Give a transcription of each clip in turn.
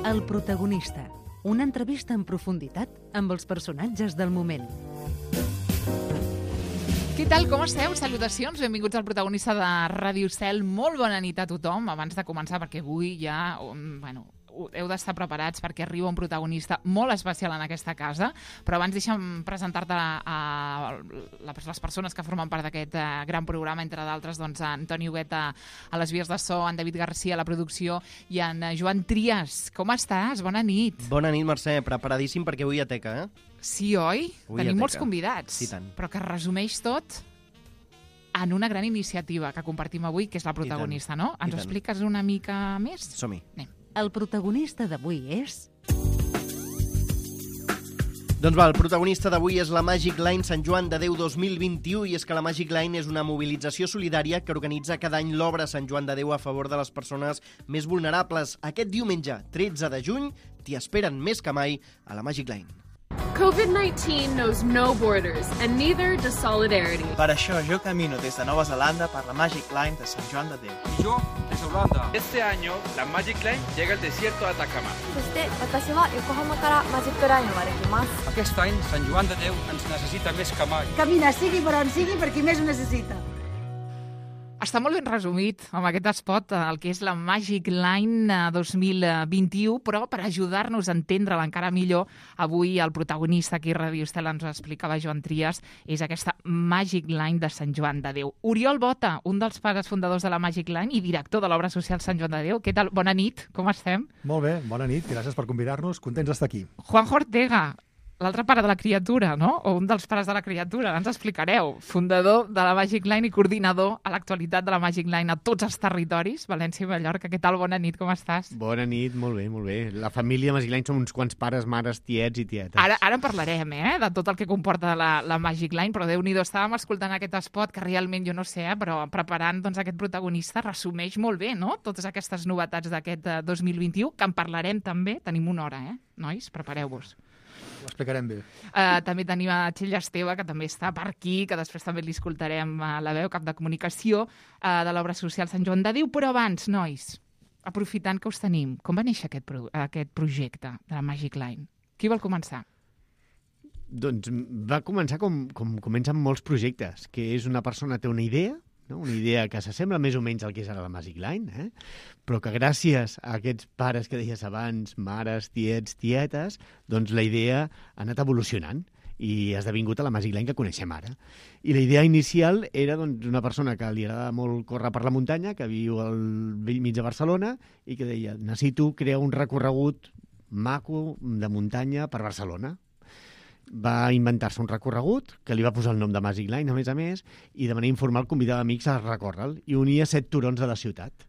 El protagonista. Una entrevista en profunditat amb els personatges del moment. Què tal, com esteu? Salutacions, benvinguts al protagonista de Ràdio Cel. Molt bona nit a tothom. Abans de començar, perquè avui ja, heu d'estar preparats perquè arriba un protagonista molt especial en aquesta casa, però abans deixa'm presentar-te a les persones que formen part d'aquest gran programa, entre d'altres, doncs, Antoni Hugueta a les vies de so, en David Garcia a la producció i en Joan Trias. Com estàs? Bona nit. Bona nit, Mercè. Preparadíssim perquè avui hi ha teca, eh? Sí, oi? Avui Tenim hi ha molts teca. convidats, Sí, tant. però que resumeix tot en una gran iniciativa que compartim avui, que és la protagonista, no? Ens ho expliques una mica més? Som-hi. Anem. El protagonista d'avui és... Doncs va, el protagonista d'avui és la Magic Line Sant Joan de Déu 2021 i és que la Magic Line és una mobilització solidària que organitza cada any l'obra Sant Joan de Déu a favor de les persones més vulnerables. Aquest diumenge, 13 de juny, t'hi esperen més que mai a la Magic Line. COVID-19 knows no borders, and neither does solidarity. Per això jo camino des de Nova Zelanda per la Magic Line de Sant Joan de Déu. Y yo desde Holanda. Este año la Magic Line llega al desierto de Atacama. そして私は横浜からマジックラインまで来ます。 Aquest any Sant Joan de Déu ens necessita més que mai. Camina, sigui per on sigui, per qui més ho necessita. Està molt ben resumit amb aquest spot el que és la Magic Line 2021, però per ajudar-nos a entendre-la encara millor, avui el protagonista aquí a Ràdio Estel ens ho explicava Joan Trias, és aquesta Magic Line de Sant Joan de Déu. Oriol Bota, un dels pares fundadors de la Magic Line i director de l'obra social Sant Joan de Déu. Què tal? Bona nit, com estem? Molt bé, bona nit, gràcies per convidar-nos, contents d'estar aquí. Juanjo Ortega, l'altre pare de la criatura, no? O un dels pares de la criatura, ens explicareu. Fundador de la Magic Line i coordinador a l'actualitat de la Magic Line a tots els territoris, València i Mallorca. Què tal? Bona nit, com estàs? Bona nit, molt bé, molt bé. La família Magic Line són uns quants pares, mares, tiets i tietes. Ara en parlarem, de tot el que comporta la Magic Line, però Déu-n'hi-do, estàvem escoltant aquest spot que realment, jo no sé, però preparant doncs, aquest protagonista resumeix molt bé, no?, totes aquestes novetats d'aquest 2021, que en parlarem també. Tenim una hora, nois? Prepareu-vos. Ho explicarem bé. També tenim a Txell Esteve, que també està per aquí, que després també li escoltarem a la veu, cap de comunicació de l'obra social Sant Joan de Déu. Però abans, nois, aprofitant que us tenim, com va néixer aquest projecte de la Magic Line? Qui vol començar? Doncs va començar com comencen molts projectes, que és una persona té una idea, no? Una idea que s'assembla més o menys al que és ara la Magic Line, però que gràcies a aquests pares que deies abans, mares, tiets, tietes, doncs la idea ha anat evolucionant i ha esdevingut a la Magic Line que coneixem ara. I la idea inicial era doncs, una persona que li agrada molt córrer per la muntanya, que viu al vell mig de Barcelona i que deia, necessito crear un recorregut maco de muntanya per Barcelona. Va inventar-se un recorregut, que li va posar el nom de Magic Line, a més, i de manera informal convidava amics a recórrer-lo i unia 7 turons de la ciutat.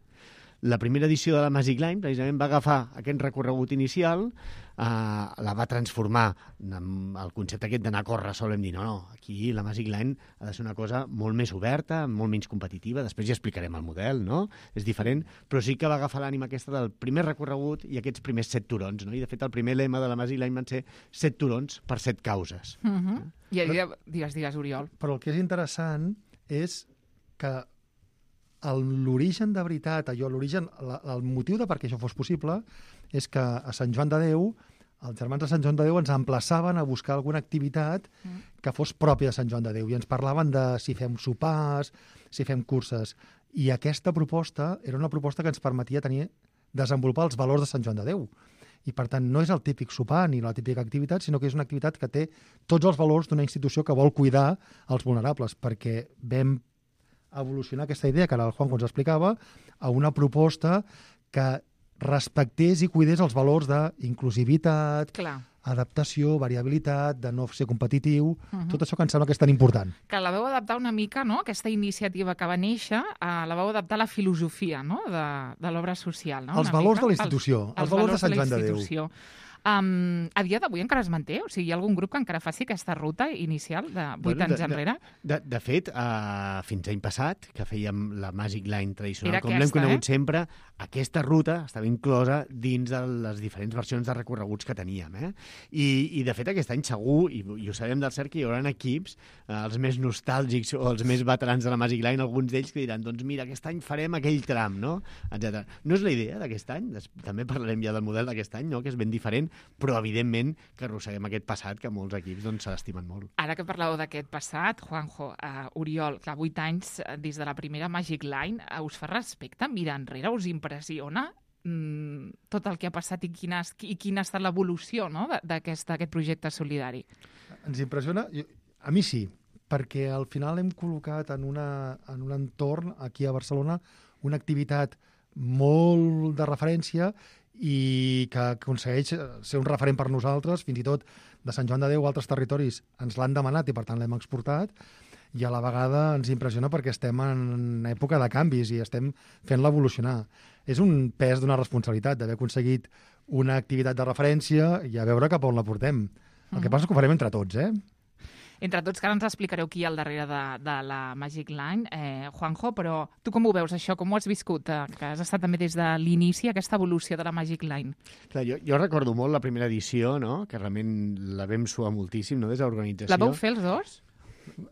La primera edició de la Magic Line, precisament, va agafar aquest recorregut inicial, la va transformar en el concepte aquest d'anar a córrer sol, hem dit, no, aquí la Magic Line ha de ser una cosa molt més oberta, molt menys competitiva, després ja explicarem el model, no? És diferent, però sí que va agafar l'ànima aquesta del primer recorregut i aquests primers 7 turons, no? I de fet el primer lema de la Magic Line van ser 7 turons per 7 causes. I digues, Oriol. Però el que és interessant és que l'origen de veritat, el motiu de per què això fos possible és que a Sant Joan de Déu, els germans de Sant Joan de Déu ens emplaçaven a buscar alguna activitat que fos pròpia de Sant Joan de Déu i ens parlaven de si fem sopars, si fem curses. I aquesta proposta era una proposta que ens permetia desenvolupar els valors de Sant Joan de Déu. I, per tant, no és el típic sopar ni la típica activitat, sinó que és una activitat que té tots els valors d'una institució que vol cuidar els vulnerables, perquè vam evolucionar aquesta idea, que ara el Juanjo ens explicava, a una proposta que respectés i cuidés els valors d'inclusivitat, adaptació, variabilitat, de no ser competitiu, tot això que em sembla que és tan important. Que la vau adaptar una mica, no?, aquesta iniciativa que va néixer, la vau adaptar a la filosofia, no?, de l'obra social. No? Els valors de la institució, els valors de Sant Joan de Déu. A dia d'avui encara es manté? O sigui, hi ha algun grup que encara faci aquesta ruta inicial de 8 anys enrere? De fet, fins l'any passat, que fèiem la Magic Line tradicional, Era com l'hem conegut sempre, aquesta ruta estava inclosa dins de les diferents versions de recorreguts que teníem. I de fet, aquest any segur, i ho sabem del cert, que hi haurà equips, els més nostàlgics o els més veterans de la Magic Line, alguns d'ells que diran, doncs mira, aquest any farem aquell tram, no? Etcètera. No és la idea d'aquest any, també parlarem ja del model d'aquest any, no? Que és ben diferent, però evidentment que arrosseguem aquest passat que molts equips se l'estimen molt. Ara que parleu d'aquest passat, Juanjo, Oriol, clar, 8 anys des de la primera Magic Line, us fa respecte mirar enrere? Us impressiona tot el que ha passat i quina ha estat l'evolució, no? d'aquest projecte solidari? Ens impressiona? A mi sí, perquè al final hem col·locat en un entorn aquí a Barcelona una activitat molt de referència i que aconsegueix ser un referent per nosaltres, fins i tot de Sant Joan de Déu, altres territoris ens l'han demanat i per tant l'hem exportat, i a la vegada ens impressiona perquè estem en època de canvis i estem fent-la evolucionar. És un pes d'una responsabilitat d'haver aconseguit una activitat de referència i a veure cap a on la portem. El que passa és que ho farem entre tots, Entre tots, que ara ens explicareu qui hi ha al darrere de la Magic Line. Juanjo, però tu com ho veus, això? Com ho has viscut? Que has estat també des de l'inici, aquesta evolució de la Magic Line. Clar, jo recordo molt la primera edició, no? Que realment la vam suar moltíssim, no? Des de l'organització. La vau fer els dos?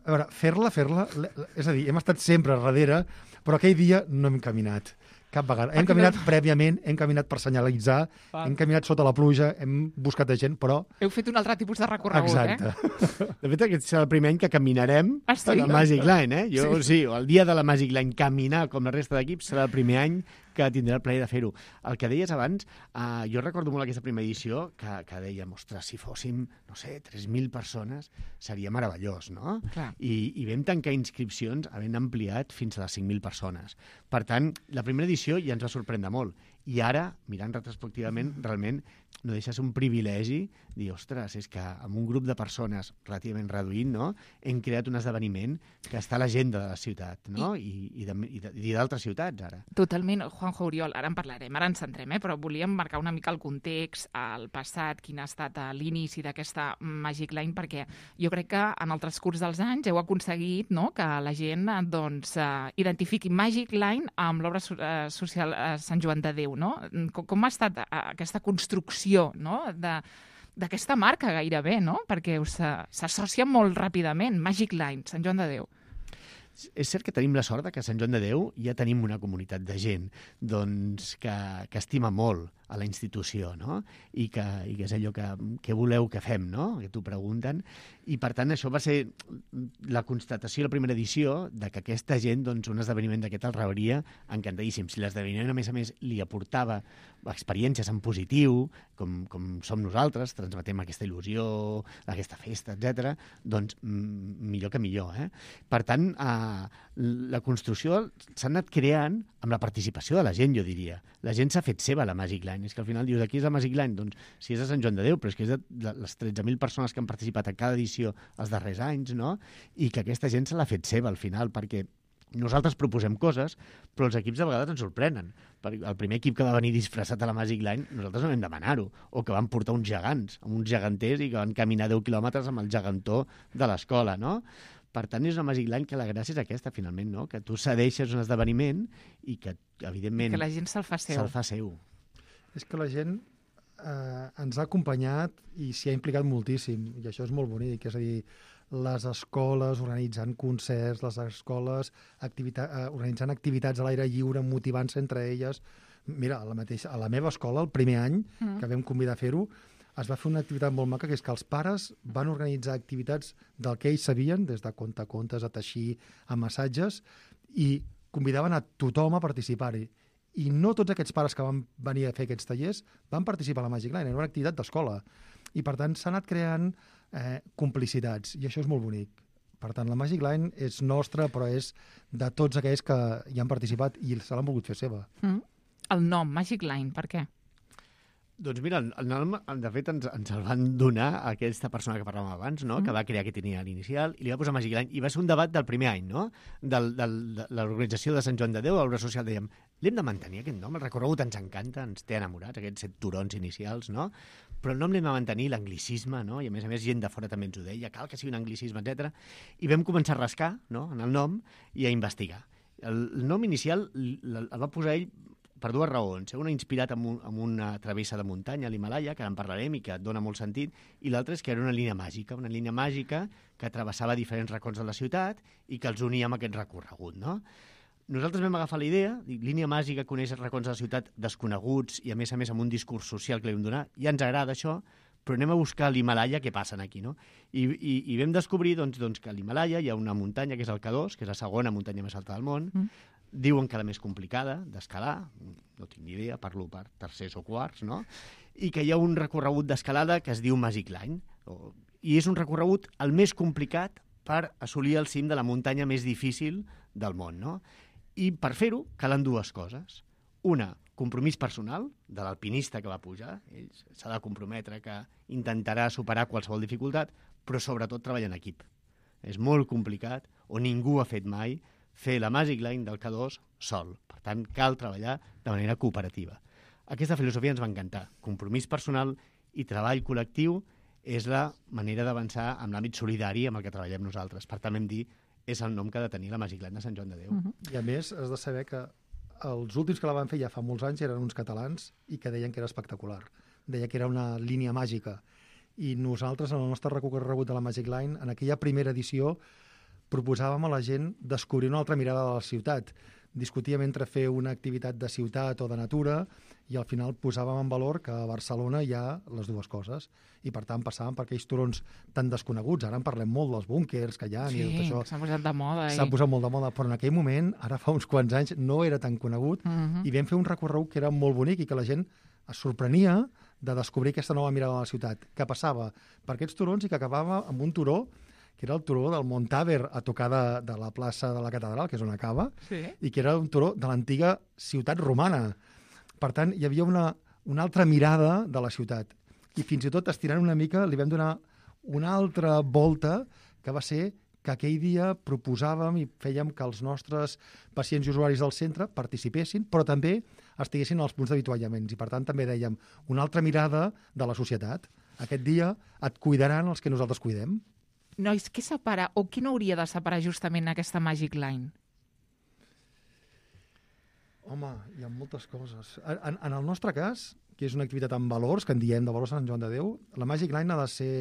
A veure, fer-la, és a dir, hem estat sempre darrere, però aquell dia no hem caminat. Cap vegada. Hem caminat prèviament, hem caminat per senyalitzar, hem caminat sota la pluja, hem buscat gent, però... Heu fet un altre tipus de recorregut, Exacte. De fet, aquest serà el primer any que caminarem a la Magic Line, Sí, el dia de la Magic Line, caminar com la resta d'equips serà el primer any que tindrà el plaer de fer-ho. El que deies abans, jo recordo molt aquesta primera edició que dèiem, ostres, si fóssim, no sé, 3.000 persones, seria meravellós, no? Clar. I vam tancar inscripcions havent ampliat fins a les 5.000 persones. Per tant, la primera edició ja ens va sorprendre molt. I ara, mirant retrospectivament, realment no deixa ser un privilegi dir, ostres, és que amb un grup de persones relativament reduït, no?, hem creat un esdeveniment que està a l'agenda de la ciutat, no?, i d'altres ciutats, ara. Totalment. Juanjo, Oriol, ara en parlarem, ara ens centrem, però volíem marcar una mica el context, el passat, quin ha estat l'inici d'aquesta Magic Line, perquè jo crec que en el transcurs dels anys heu aconseguit, no?, que la gent doncs, identifiqui Magic Line amb l'obra social Sant Joan de Déu, no? Com ha estat aquesta construcció, no?, d'aquesta marca gairebé, no?, perquè s'associa molt ràpidament, Magic Line, Sant Joan de Déu. És cert que tenim la sort que a Sant Joan de Déu ja tenim una comunitat de gent doncs, que estima molt a la institució, no? I que és allò que voleu que fem, no? Que t'ho pregunten. I, per tant, això va ser la constatació de la primera edició de que aquesta gent, doncs, un esdeveniment d'aquest el rebria encantadíssim. Si l'esdeveniment, a més, li aportava experiències en positiu, com som nosaltres, transmetem aquesta il·lusió, aquesta festa, etc., doncs millor que millor. Per tant, la construcció s'ha anat creant amb la participació de la gent, jo diria. La gent s'ha fet seva la Magic Line. És que al final dius, aquí és la Magic Line? Doncs si és de Sant Joan de Déu, però és que és de les 13.000 persones que han participat a cada edició els darrers anys, no? I que aquesta gent se l'ha fet seva al final, perquè nosaltres proposem coses, però els equips de vegades ens sorprenen. El primer equip que va venir disfressat a la Magic Line, nosaltres no vam demanar-ho, o que van portar uns gegants, amb uns geganters, i que van caminar 10 quilòmetres amb el gegantó de l'escola, no? Per tant, és una Magic Line que la gràcia és aquesta, finalment, no? Que tu cedeixes un esdeveniment i que, evidentment... Que la gent se'l fa seu. És que la gent ens ha acompanyat i s'hi ha implicat moltíssim, i això és molt bonic. És a dir, les escoles organitzant concerts, les escoles organitzant activitats a l'aire lliure, motivant-se entre elles. Mira, a la meva escola, el primer any que vam convidar a fer-ho, es va fer una activitat molt maca, que és que els pares van organitzar activitats del que ells sabien, des de contacontes a teixir, a massatges, i convidaven a tothom a participar-hi. I no tots aquests pares que van venir a fer aquests tallers van participar a la Magic Line, era una activitat d'escola. I, per tant, s'ha anat creant complicitats, i això és molt bonic. Per tant, la Magic Line és nostra, però és de tots aquells que hi han participat i se l'han volgut fer seva. El nom, Magic Line, per què? Doncs mira, el nom, de fet, ens el van donar a aquesta persona que parlàvem abans, no? Que va crear aquest itinerari inicial i li va posar Magic Line. I va ser un debat del primer any, no? De l'organització de Sant Joan de Déu, l'obra social, dèiem, l'hem de mantenir, aquest nom. El recorregut ens encanta, ens té enamorats, aquests 7 turons inicials, no? Però el nom l'hem de mantenir, l'anglicisme, no? I a més gent de fora també ens ho deia, cal que sigui un anglicisme, etc. I vam començar a rascar, no?, en el nom i a investigar. El nom inicial el va posar ell per 2 raons. Una inspirat en una travessa de muntanya a l'Himalaya, que en parlarem i que et dona molt sentit, i l'altra és que era una línia màgica que travessava diferents racons de la ciutat i que els unia amb aquest recorregut, no? Nosaltres vam agafar la idea, línia màgica, conèixer racons de la ciutat desconeguts i a més amb un discurs social que li vam donar. Ja ens agrada això, però anem a buscar l'Himalaya, què passen aquí, no? I vam descobrir doncs, que a l'Himalaya hi ha una muntanya que és el K2, que és la segona muntanya més alta del món. Diuen que la més complicada d'escalar, no tinc ni idea, parlo per tercers o quarts, no? I que hi ha un recorregut d'escalada que es diu Magic Line, i és un recorregut el més complicat per assolir el cim de la muntanya més difícil del món, no? I per fer-ho calen 2 coses. Una, compromís personal de l'alpinista que va pujar. Ell s'ha de comprometre que intentarà superar qualsevol dificultat, però sobretot treballar en equip. És molt complicat, o ningú ha fet mai, fer la Magic Line del K2 sol. Per tant, cal treballar de manera cooperativa. Aquesta filosofia ens va encantar. Compromís personal i treball col·lectiu és la manera d'avançar amb l'àmbit solidari amb el que treballem nosaltres. Per tant, vam dir, és el nom que ha de tenir la Magic Line de Sant Joan de Déu. I a més, has de saber que els últims que la van fer ja fa molts anys eren uns catalans i que deien que era espectacular. Deia que era una línia màgica. I nosaltres, en el nostre recorregut de la Magic Line, en aquella primera edició, proposàvem a la gent descobrir una altra mirada de la ciutat. Discutíem entre fer una activitat de ciutat o de natura i al final posàvem en valor que a Barcelona hi ha les 2 coses i per tant passàvem per aquells turons tan desconeguts. Ara en parlem molt dels búnkers que hi ha i tot això. Sí, s'ha posat de moda. S'ha posat molt de moda, però en aquell moment, ara fa uns quants anys, no era tan conegut i vam fer un recorregut que era molt bonic i que la gent es sorprenia de descobrir aquesta nova mirada de la ciutat, que passava per aquests turons i que acabava amb un turó que era el turó del Montaver a tocar de la plaça de la Catedral, que és on acaba, i que era un turó de l'antiga ciutat romana. Per tant, hi havia una altra mirada de la ciutat. I fins i tot, estirant una mica, li vam donar una altra volta, que va ser que aquell dia proposàvem i fèiem que els nostres pacients i usuaris del centre participessin, però també estiguessin als punts d'avituallaments. I per tant també dèiem una altra mirada de la societat. Aquest dia et cuidaran els que nosaltres cuidem. Nois, què separa o què no hauria de separar justament aquesta Magic Line? Home, hi ha moltes coses. En el nostre cas, que és una activitat amb valors, que en diem de valors a Sant Joan de Déu, la Magic Line ha de ser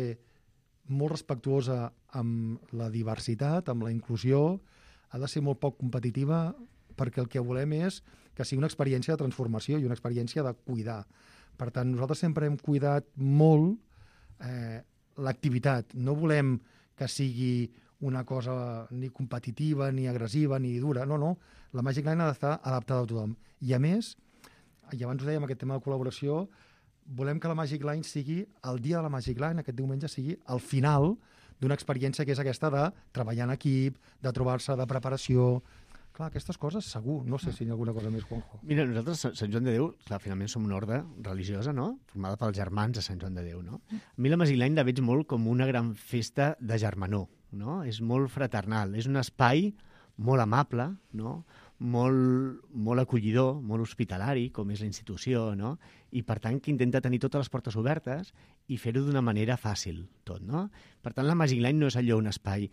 molt respectuosa amb la diversitat, amb la inclusió, ha de ser molt poc competitiva, perquè el que volem és que sigui una experiència de transformació i una experiència de cuidar. Per tant, nosaltres sempre hem cuidat molt l'activitat. No volem que sigui una cosa ni competitiva, ni agressiva, ni dura. No, no. La Magic Line ha d'estar adaptada a tothom. I a més, i abans ho dèiem, aquest tema de col·laboració, volem que la Magic Line sigui, el dia de la Magic Line, aquest diumenge, sigui el final d'una experiència que és aquesta de treballar en equip, de trobar-se, de preparació. Clar, aquestes coses segur. No sé si hi ha alguna cosa més, Juanjo. Mira, nosaltres, Sant Joan de Déu, clar, finalment som una orde religiosa, no?, formada pels germans de Sant Joan de Déu, no? A mi la Magic Line la veig molt com una gran festa de germanor, no? És molt fraternal, és un espai molt amable, no?, molt acollidor, molt hospitalari, com és la institució, no? I, per tant, que intenta tenir totes les portes obertes i fer-ho d'una manera fàcil, tot, no? Per tant, la Magic Line no és allò un espai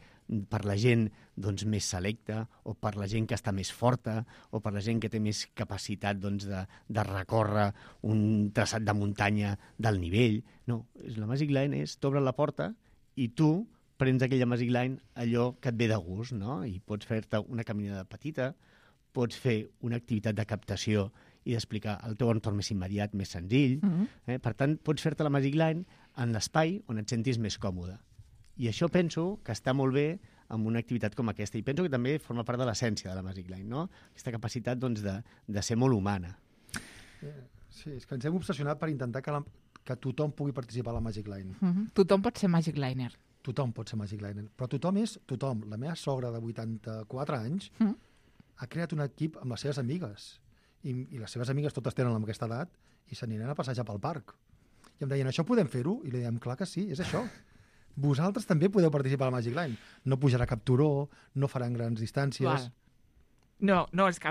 per la gent doncs, més selecta o per la gent que està més forta o per la gent que té més capacitat doncs, de recórrer un traçat de muntanya del nivell. No, la Magic Line és t'obren la porta i tu prens aquella Magic Line allò que et ve de gust, no? I pots fer-te una caminada petita, pots fer una activitat de captació i d'explicar el teu entorn més immediat, més senzill. Per tant, pots fer-te la Magic Line en l'espai on et sentis més còmode. I això penso que està molt bé amb una activitat com aquesta. I penso que també forma part de l'essència de la Magic Line, no? Aquesta capacitat doncs, de ser molt humana. Sí, és que ens hem obsessionat per intentar que tothom pugui participar a la Magic Line. Tothom pot ser Magic Liner. Tothom pot ser Magic Liner. Però tothom és tothom. La meva sogra de 84 anys ha creat un equip amb les seves amigues. I les seves amigues totes tenen aquesta edat i s'aniran a passejar pel parc. I em deien, això podem fer-ho? I li dèiem, clar que sí, és això. Vosaltres també podeu participar a la Magic Line. No pujarà cap turó, no faran grans distàncies. No, és que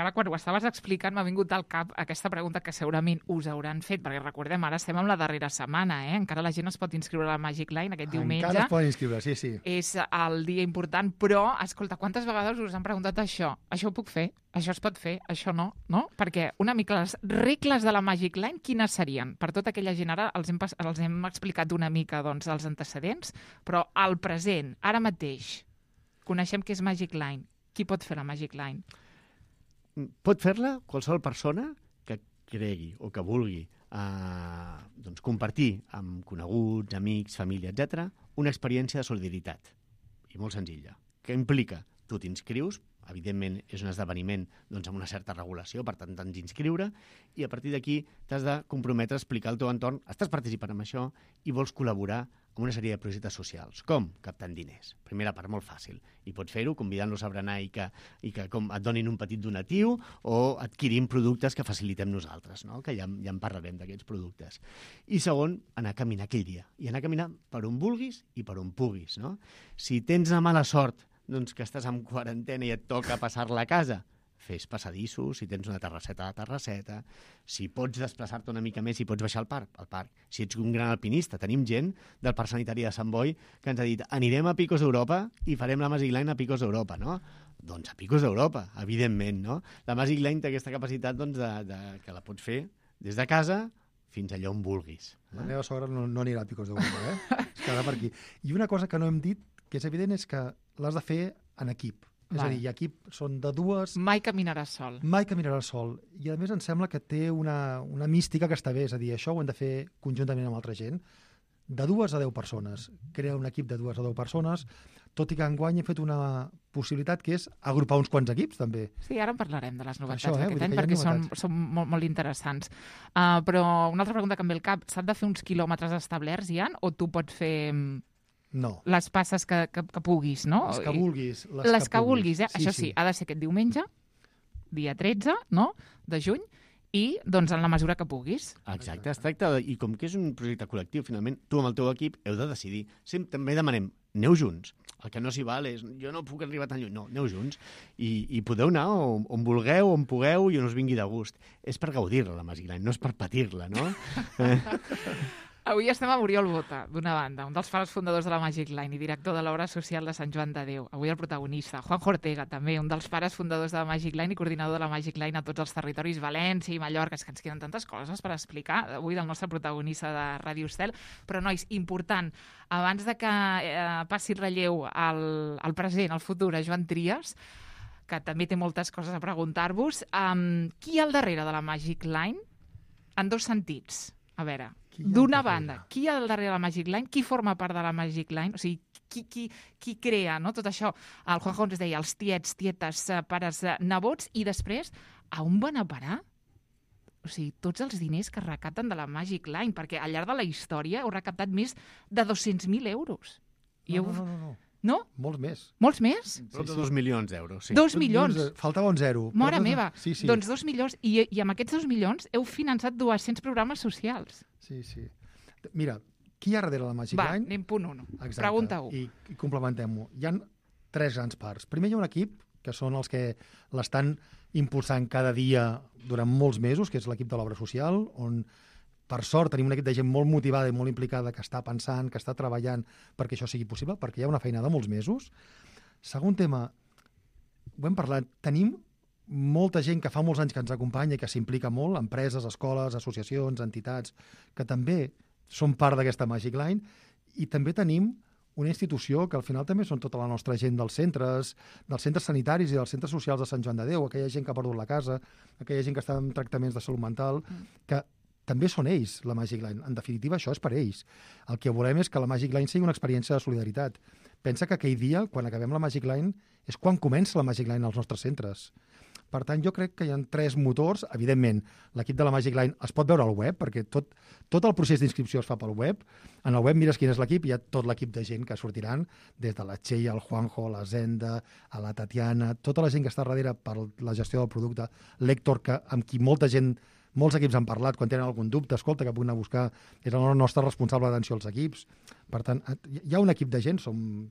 ara quan ho estaves explicant m'ha vingut al cap aquesta pregunta que segurament us hauran fet, perquè recordem, ara estem en la darrera setmana, encara la gent es pot inscriure a la Magic Line aquest diumenge. Encara es poden inscriure, sí. És el dia important, però, escolta, quantes vegades us han preguntat això? Això ho puc fer? Això es pot fer? Això no? Perquè una mica les regles de la Magic Line, quines serien? Per tota aquella gent, ara els hem explicat una mica doncs, els antecedents, però al present, ara mateix, coneixem què és Magic Line. Qui pot fer la Magic Line? Pot fer-la qualsevol persona que cregui o que vulgui compartir amb coneguts, amics, família, etc., una experiència de solidaritat. I molt senzilla. Què implica? Tu t'inscrius, evidentment és un esdeveniment amb una certa regulació, per tant t'has d'inscriure, i a partir d'aquí t'has de comprometre a explicar al teu entorn, estàs participant en això i vols col·laborar amb una sèrie de projectes socials. Com? Captant diners. Primera part, molt fàcil. I pots fer-ho convidant-los a berenar i que et donin un petit donatiu o adquirint productes que facilitem nosaltres, no? Que ja en parlarem d'aquests productes. I segon, anar a caminar aquell dia. I anar a caminar per on vulguis i per on puguis, no? Si tens la mala sort que estàs en quarantena i et toca passar-la a casa, fes passadissos, si tens una terrasseta, si pots desplaçar-te una mica més i pots baixar al parc. Si ets un gran alpinista, tenim gent del Parc Sanitari de Sant Boi que ens ha dit anirem a Picos d'Europa i farem la Magic Line a Picos d'Europa, no? Doncs a Picos d'Europa, evidentment, no? La Magic Line té aquesta capacitat que la pots fer des de casa fins allà on vulguis. La meva sogra no anirà a Picos d'Europa, es quedarà per aquí. I una cosa que no hem dit, que és evident, és que l'has de fer en equip. És a dir, equip són de dues... Mai caminaràs sol. Mai caminaràs sol. I a més em sembla que té una mística que està bé. És a dir, això ho hem de fer conjuntament amb altra gent. De 2 a 10 persones. Crea un equip de 2 a 10 persones, tot i que enguany he fet una possibilitat que és agrupar uns quants equips, també. Sí, ara en parlarem de les novetats d'aquest any, perquè són molt interessants. Però una altra pregunta que em ve al cap, s'han de fer uns quilòmetres establerts, Ian, o tu pots fer... No. Les passes que puguis, no? Les que vulguis. Les que vulguis, Sí, ha de ser aquest diumenge, dia 13, no?, de juny, i doncs en la mesura que puguis. Exacte, es tracta i com que és un projecte col·lectiu, finalment, tu amb el teu equip heu de decidir. També demanem, aneu junts. El que no s'hi val és, jo no puc arribar tan lluny. No, aneu junts. I podeu anar on vulgueu, on pugueu i on us vingui de gust. És per gaudir-la, la Magic Line, no és per patir-la, no? Avui estem a Oriol Bota, d'una banda, un dels pares fundadors de la Magic Line i director de l'obra social de Sant Joan de Déu. Avui el protagonista, Juanjo Ortega, també, un dels pares fundadors de la Magic Line i coordinador de la Magic Line a tots els territoris, València i Mallorca. És que ens queden tantes coses per explicar avui del nostre protagonista de Ràdio Estel. Però, nois, important, abans de que passi relleu al present, al futur, a Joan Trias, que també té moltes coses a preguntar-vos, qui hi ha al darrere de la Magic Line? En dos sentits. A veure, d'una banda, qui hi ha al darrere de la Magic Line? Qui forma part de la Magic Line? O sigui, qui crea, no? Tot això, el Juanjo ens deia, els tiets, tietes, pares, nebots, i després, a on van a parar? O sigui, tots els diners que es recapten de la Magic Line, perquè al llarg de la història heu recaptat més de 200.000 euros. No. No? Molts més. Molts més? Prop de 2 milions d'euros, sí. 2 milions? Faltava un zero. Mare meva. Sí. Doncs 2 milions. I amb aquests 2 milions heu finançat 200 programes socials. Sí. Mira, qui hi ha darrere la Magic Line? Va, anem punt 1. Exacte. Pregunta 1. I complementem-ho. Hi ha 3 grans parts. Primer hi ha un equip, que són els que l'estan impulsant cada dia durant molts mesos, que és l'equip de l'obra social, on per sort tenim un equip de gent molt motivada i molt implicada que està pensant, que està treballant perquè això sigui possible, perquè hi ha una feina de molts mesos. Segon tema, ho hem parlat, tenim molta gent que fa molts anys que ens acompanya i que s'implica molt, empreses, escoles, associacions, entitats, que també són part d'aquesta Magic Line, i també tenim una institució que al final també són tota la nostra gent dels centres sanitaris i dels centres socials de Sant Joan de Déu, aquella gent que ha perdut la casa, aquella gent que està en tractaments de salut mental, que també són ells, la Magic Line. En definitiva, això és per ells. El que volem és que la Magic Line sigui una experiència de solidaritat. Pensa que aquell dia, quan acabem la Magic Line, és quan comença la Magic Line als nostres centres. Per tant, jo crec que hi ha 3 motors. Evidentment, l'equip de la Magic Line es pot veure al web, perquè tot el procés d'inscripció es fa pel web. En el web mires quin és l'equip i hi ha tot l'equip de gent que sortiran, des de la Txell, el Juanjo, la Zenda, a la Tatiana, tota la gent que està darrere per la gestió del producte, l'Héctor, amb qui molts equips han parlat, quan tenen algun dubte, escolta, que puguin anar a buscar, és el nostre responsable d'atenció als equips. Per tant, hi ha un equip de gent, som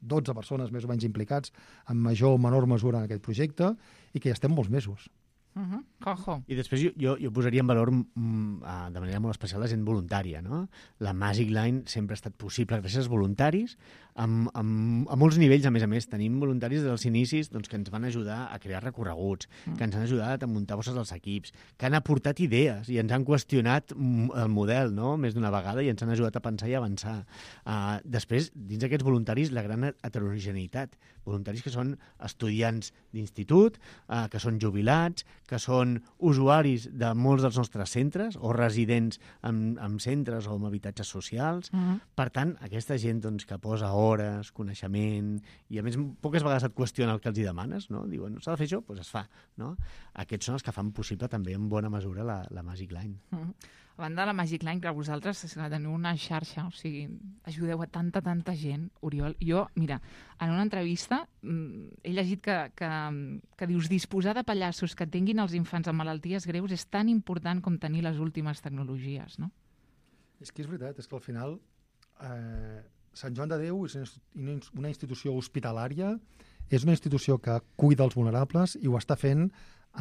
12 persones més o menys implicats en major o menor mesura en aquest projecte i que ja estem molts mesos. Juanjo. I després jo posaria en valor de manera molt especial la gent voluntària, no? La Magic Line sempre ha estat possible gràcies als voluntaris, a molts nivells, a més. Tenim voluntaris dels inicis que ens van ajudar a crear recorreguts, que ens han ajudat a muntar bosses dels equips, que han aportat idees i ens han qüestionat el model, no? Més d'una vegada, i ens han ajudat a pensar i avançar. Després, dins d'aquests voluntaris, la gran heterogeneïtat. Voluntaris que són estudiants d'institut, que són jubilats, que són usuaris de molts dels nostres centres o residents en centres o en habitatges socials. Per tant, aquesta gent que posa hores, coneixement, i a més poques vegades et qüestiona el que els hi demanes, no? Diuen, s'ha de fer això? Doncs es fa, no? Aquests són els que fan possible també en bona mesura la Magic Line. A banda de la Magic Line, que vosaltres teniu una xarxa, o sigui, ajudeu a tanta gent, Oriol. Jo, mira, en una entrevista he llegit que dius disposar de pallassos que tinguin els infants amb malalties greus és tan important com tenir les últimes tecnologies, no? És que és veritat, és que al final Sant Joan de Déu és una institució hospitalària, és una institució que cuida els vulnerables i ho està fent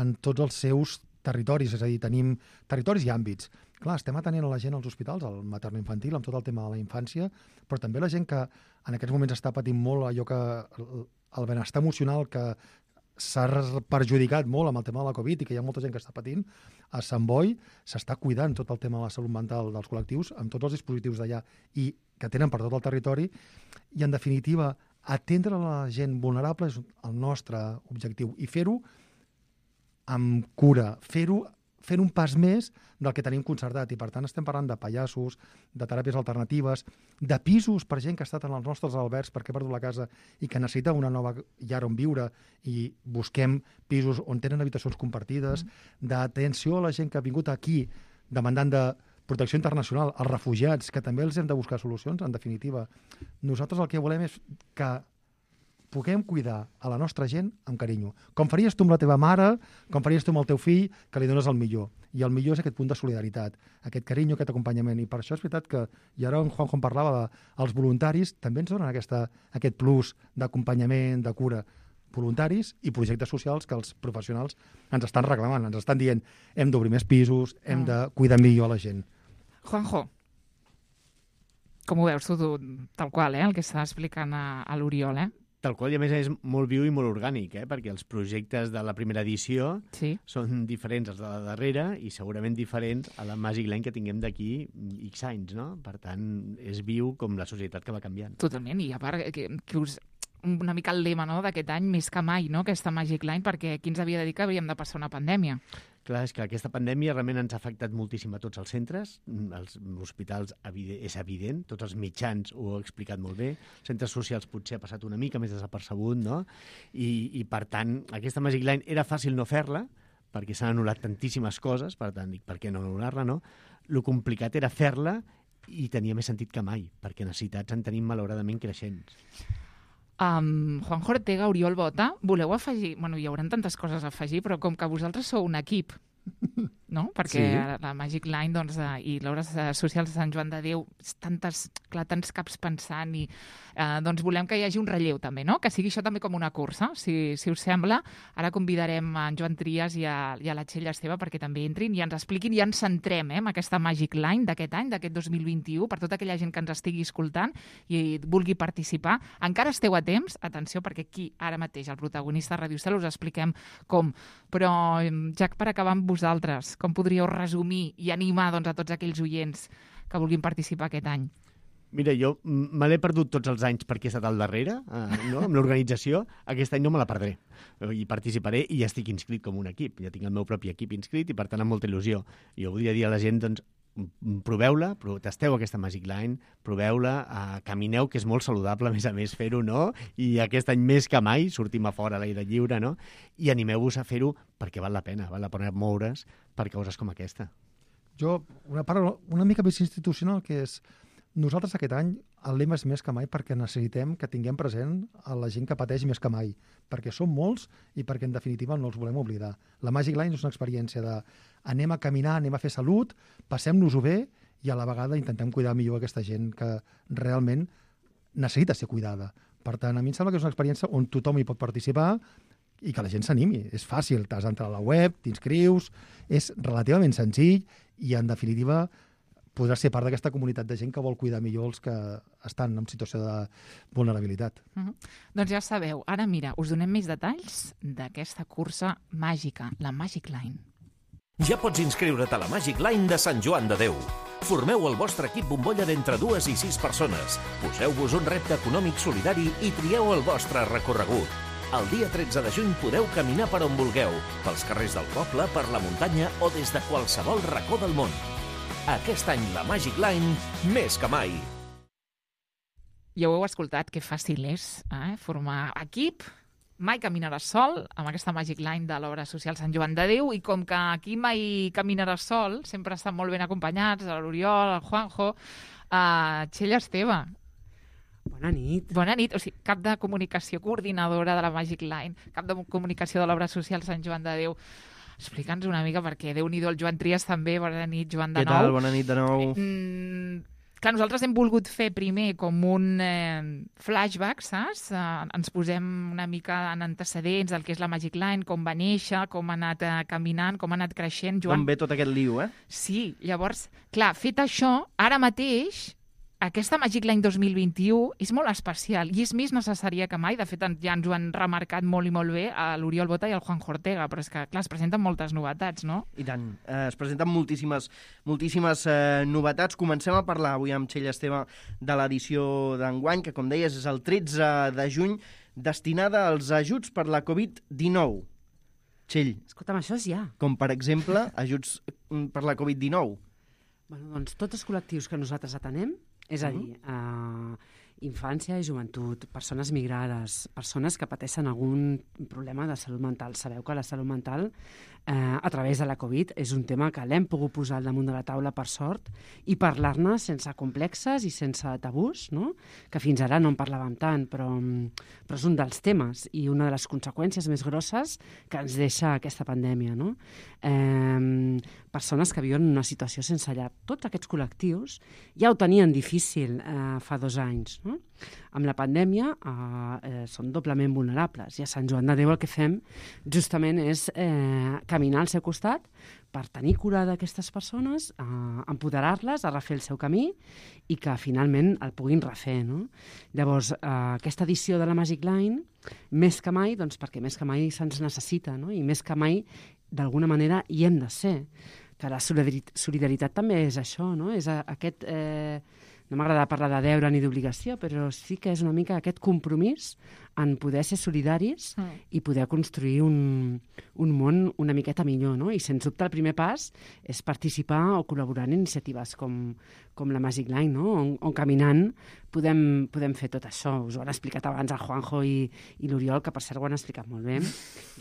en tots els seus territoris, és a dir, tenim territoris i àmbits. Clar, estem atenent a la gent als hospitals, al materno-infantil, amb tot el tema de la infància, però també la gent que en aquests moments està patint molt allò que el benestar emocional que s'ha perjudicat molt amb el tema de la Covid i que hi ha molta gent que està patint, a Sant Boi s'està cuidant tot el tema de la salut mental dels col·lectius amb tots els dispositius d'allà i que tenen per tot el territori i, en definitiva, atendre la gent vulnerable és el nostre objectiu i fer-ho amb cura, fer-ho fent un pas més del que tenim concertat i per tant estem parlant de pallassos, de teràpies alternatives, de pisos per gent que ha estat en els nostres albergs perquè ha perdut la casa i que necessita una nova llar on viure i busquem pisos on tenen habitacions compartides, d'atenció a la gent que ha vingut aquí demandant de protecció internacional, als refugiats, que també els hem de buscar solucions, en definitiva. Nosaltres el que volem és que puguem cuidar a la nostra gent amb carinyo. Com faries tu amb la teva mare, com faries tu amb el teu fill, que li dones el millor. I el millor és aquest punt de solidaritat, aquest carinyo, aquest acompanyament. I per això és veritat que, i ara en Juanjo parlava dels voluntaris, també ens donen aquest plus d'acompanyament, de cura. Voluntaris i projectes socials que els professionals ens estan reclamant, ens estan dient hem d'obrir més pisos, hem de cuidar millor a la gent. Juanjo, com ho veus tu tal qual, el que està explicant a l'Oriol, Tal qual, i a més és molt viu i molt orgànic, perquè els projectes de la primera edició són diferents als de la darrera i segurament diferents a la Magic Line que tinguem d'aquí X anys, no? Per tant, és viu com la societat que va canviant. Totalment, i a part que us una mica el lema d'aquest any, més que mai, no? Aquesta Magic Line, perquè qui ens havia de dir que havíem de passar una pandèmia? Clar, és que aquesta pandèmia realment ens ha afectat moltíssim a tots els centres, els hospitals és evident, tots els mitjans ho heu explicat molt bé, centres socials potser ha passat una mica més desapercebut, no? I per tant, aquesta Magic Line era fàcil no fer-la, perquè s'han anul·lat tantíssimes coses, per tant, dic, per què no anul·lar-la, no? Lo complicat era fer-la i tenia més sentit que mai, perquè necessitats en tenim malauradament creixents. Juanjo Ortega, Oriol Bota, voleu afegir... Bueno, hi haurà tantes coses a afegir, però com que vosaltres sou un equip, no? Perquè la Magic Line i l'Obres Socials de Sant Joan de Déu, tants caps pensant i volem que hi hagi un relleu també, no? Que sigui això també com una cursa, si us sembla. Ara convidarem en Joan Trias i a la Txell Esteve perquè també entrin i ens expliquin i ens centrem en aquesta Magic Line d'aquest any, d'aquest 2021, per tota aquella gent que ens estigui escoltant i vulgui participar. Encara esteu a temps, atenció, perquè aquí ara mateix el protagonista de Ràdio Cel us expliquem com. Però ja per acabar amb vosaltres, com podríeu resumir i animar a tots aquells oients que vulguin participar aquest any? Mira, jo me l'he perdut tots els anys perquè he estat al darrere, no? Amb l'organització. Aquest any no me la perdré. I participaré i ja estic inscrit com un equip. Ja tinc el meu propi equip inscrit i, per tant, amb molta il·lusió. Jo voldria dir a la gent, proveu-la, tasteu aquesta Magic Line, proveu-la, camineu, que és molt saludable, a més fer-ho, no? I aquest any més que mai sortim a fora a l'aire lliure, no? I animeu-vos a fer-ho perquè val la pena moure's per causes com aquesta. Jo, una part una mica més institucional, que és nosaltres aquest any el lema és més que mai perquè necessitem que tinguem present a la gent que pateix més que mai, perquè som molts i perquè en definitiva no els volem oblidar. La Magic Line és una experiència de anem a caminar, anem a fer salut, passem-nos-ho bé i a la vegada intentem cuidar millor aquesta gent que realment necessita ser cuidada, Per tant, a mi em sembla que és una experiència on tothom hi pot participar i que la gent s'animi. És fàcil, t'has d'entrar a la web, t'inscrius, és relativament senzill i, en definitiva, podràs ser part d'aquesta comunitat de gent que vol cuidar millor els que estan en situació de vulnerabilitat. Doncs ja sabeu, ara mira, us donem més detalls d'aquesta cursa màgica, la Magic Line. Ja pots inscriure't a la Magic Line de Sant Joan de Déu. Formeu el vostre equip bombolla d'entre 2 i 6 persones. Poseu-vos un repte econòmic solidari i trieu el vostre recorregut. El dia 13 de juny podeu caminar per on vulgueu, pels carrers del poble, per la muntanya o des de qualsevol racó del món. Aquest any la Magic Line, més que mai. Ja ho heu escoltat, que fàcil és formar equip. Mai caminaràs sol, amb aquesta Magic Line de l'obra social Sant Joan de Déu, i com que aquí mai caminaràs sol, sempre estan molt ben acompanyats, l'Oriol, el Juanjo, Txell Esteve. Bona nit. Bona nit. O sigui, cap de comunicació, coordinadora de la Magic Line, cap de comunicació de l'obra social Sant Joan de Déu. Explica'ns una mica, perquè Déu-n'hi-do, el Joan Trias també. Bona nit, Joan, de nou. Què tal? Bona nit de nou. Clar, nosaltres hem volgut fer primer com un flashback, saps? Ens posem una mica en antecedents del que és la Magic Line, com va néixer, com ha anat caminant, com ha anat creixent. Joan... Com ve tot aquest liu, Sí, llavors, clar, fet això, ara mateix, aquesta Magic Line 2021 és molt especial i és més necessària que mai. De fet, ja ens ho han remarcat molt i molt bé a l'Oriol Bota i al Juanjo Ortega, però és que, clar, es presenten moltes novetats, no? I tant. Es presenten moltíssimes novetats. Comencem a parlar avui amb Txell Esteve de l'edició d'enguany, que, com deies, és el 13 de juny, destinada als ajuts per la Covid-19. Txell. Escolta'm, això és ja. Com, per exemple, ajuts per la Covid-19. Bueno, doncs tots els col·lectius que nosaltres atenem, és a dir, infància i joventut, persones migrades, persones que pateixen algun problema de salut mental. Sabeu que la salut mental, a través de la Covid, és un tema que l'hem pogut posar al damunt de la taula, per sort, i parlar-ne sense complexes i sense tabús, no? Que fins ara no en parlàvem tant, però és un dels temes i una de les conseqüències més grosses que ens deixa aquesta pandèmia, no? Persones que viuen en una situació sense llar. Tots aquests col·lectius ja ho tenien difícil fa 2 anys, no? Amb la pandèmia són doblement vulnerables i a Sant Joan de Déu el que fem justament és caminar al seu costat per tenir cura d'aquestes persones, empoderar-les a refer el seu camí i que finalment el puguin refer, no? Llavors, aquesta edició de la Magic Line, més que mai, doncs perquè més que mai se'ns necessita, no? I més que mai, d'alguna manera, hi hem de ser. Que la solidaritat també és això, no? És aquest... No m'agrada parlar de deure ni d'obligació, però sí que és una mica aquest compromís en poder ser solidaris i poder construir un món una miqueta millor, no? I sens dubte el primer pas és participar o col·laborar en iniciatives com la Magic Line, no? On caminant podem fer tot això. Us ho han explicat abans el Juanjo i l'Oriol, que per cert ho han explicat molt bé.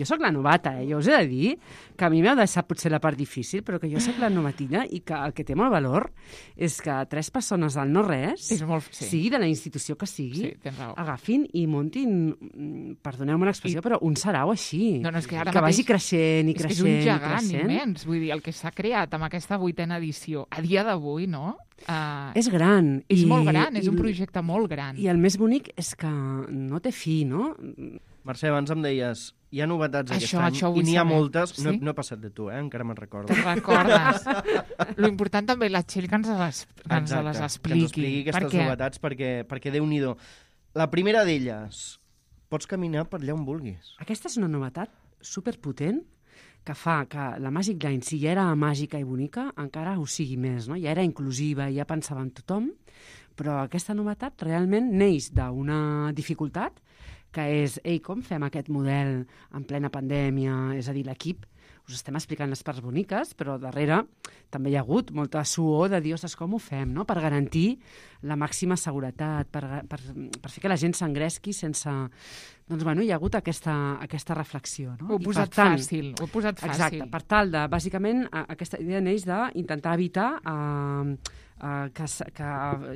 Jo sóc la novata, jo us he de dir que a mi m'heu deixat potser la part difícil, però que jo sóc la novatilla i que el que té molt valor és que 3 persones del no-res, sigui de la institució que sigui, agafin i montin, perdoneu-me l'expressió, però un sarau així, no, és que vagi creixent i creixent. És un gegant immens, vull dir, el que s'ha creat amb aquesta 8a edició, a dia d'avui, no? És gran. És molt gran, és un projecte molt gran. I el més bonic és que no té fi, no? Mercè, abans em deies, hi ha novetats aquest any i n'hi ha moltes. Sí? No he passat de tu, encara me'n recordo. Te'n recordes. Lo important també la Txell que ens les expliqui. Que ens expliqui aquestes novetats, perquè Déu-n'hi-do. La primera d'elles, pots caminar per allà on vulguis. Aquesta és una novetat superpotent que fa que la Magic Line, si ja era màgica i bonica, encara ho sigui més, no? Ja era inclusiva, ja pensava en tothom, però aquesta novetat realment neix d'una dificultat, que és, com fem aquest model en plena pandèmia? És a dir, l'equip, us estem explicant les parts boniques, però darrere també hi ha hagut molta suor de dir, ostres, com ho fem, no? Per garantir la màxima seguretat, per fer que la gent s'engresqui sense... Doncs, bueno, hi ha hagut aquesta reflexió, no? Ho he posat fàcil. Exacte, per tal de, bàsicament, aquesta idea neix d'intentar evitar que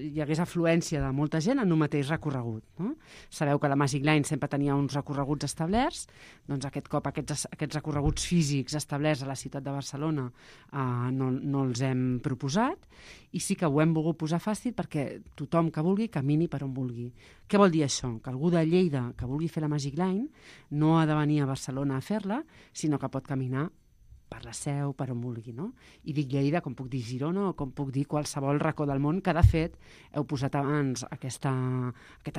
hi hagués afluència de molta gent en un mateix recorregut. No? Sabeu que la Magic Line sempre tenia uns recorreguts establerts, doncs aquest cop aquests recorreguts físics establerts a la ciutat de Barcelona no els hem proposat, i sí que ho hem volgut posar fàcil perquè tothom que vulgui camini per on vulgui. Què vol dir això? Que algú de Lleida que vulgui fer la Magic Line no ha de venir a Barcelona a fer-la, sinó que pot caminar per la Seu, per on vulgui, no? I dic Lleida, com puc dir Girona o com puc dir qualsevol racó del món, que de fet heu posat abans aquest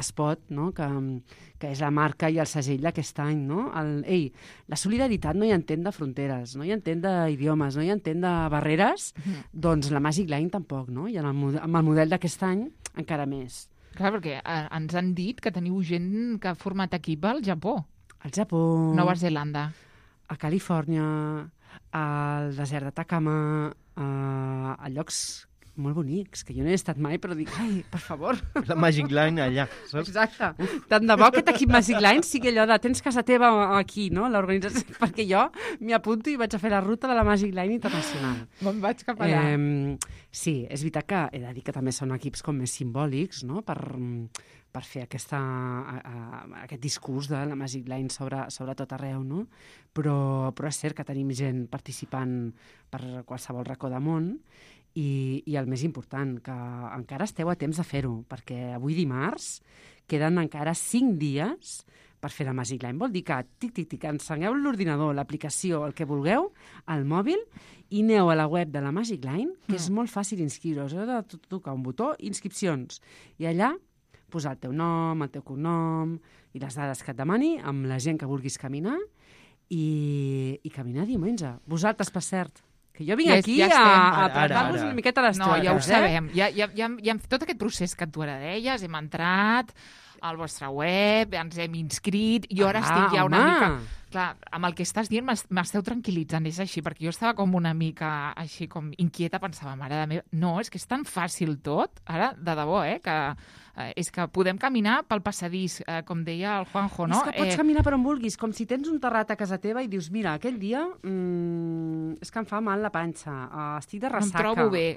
spot, no? que és la marca i el segell d'aquest any, no? La solidaritat no hi entén de fronteres, no hi entén d'idiomes, no hi entén de barreres, doncs la Magic Line tampoc, no? I amb el model d'aquest any encara més. Clar, perquè ens han dit que teniu gent que ha format equip al Japó. Al Japó. Nova Zelanda. A Califòrnia, al desert d'Atacama, a llocs molt bonics, que jo no he estat mai, però dic, ai, per favor. La Magic Line allà, saps? Exacte. Tant de bo aquest equip Magic Line sigui allò de tens casa teva aquí, no?, l'organització, perquè jo m'hi apunto i vaig a fer la ruta de la Magic Line internacional. Me'n vaig cap allà. Sí, és veritat que he de dir que també són equips com més simbòlics, no?, per fer aquest discurs de la Magic Line sobre tot arreu, no? Però és cert que tenim gent participant per qualsevol racó de món i el més important, que encara esteu a temps de fer-ho, perquè avui dimarts queden encara 5 dies per fer la Magic Line. Vol dir que, encengueu l'ordinador, l'aplicació, el que vulgueu, al mòbil, i aneu a la web de la Magic Line, que és molt fàcil inscriure-us. Heu de tocar un botó, inscripcions, i allà posar el teu nom, el teu cognom i les dades que et demani amb la gent que vulguis caminar i caminar diumenge. Vosaltres, per cert, que jo vinc aquí a parlar-vos una miqueta a les No, ja ho sabem. Ja tot aquest procés que tu ara deies, hem entrat al vostre web, ens hem inscrit, i ara estic ja una mica... Clar, amb el que estàs dient m'esteu tranquil·litzant, és així, perquè jo estava com una mica així com inquieta, pensava, mare de meva, no, és que és tan fàcil tot, ara, de debò, que és que podem caminar pel passadís, com deia el Juanjo, no? És que pots caminar per on vulguis, com si tens un terrat a casa teva i dius, mira, aquell dia és que em fa mal la panxa, estic de ressaca. Em trobo bé.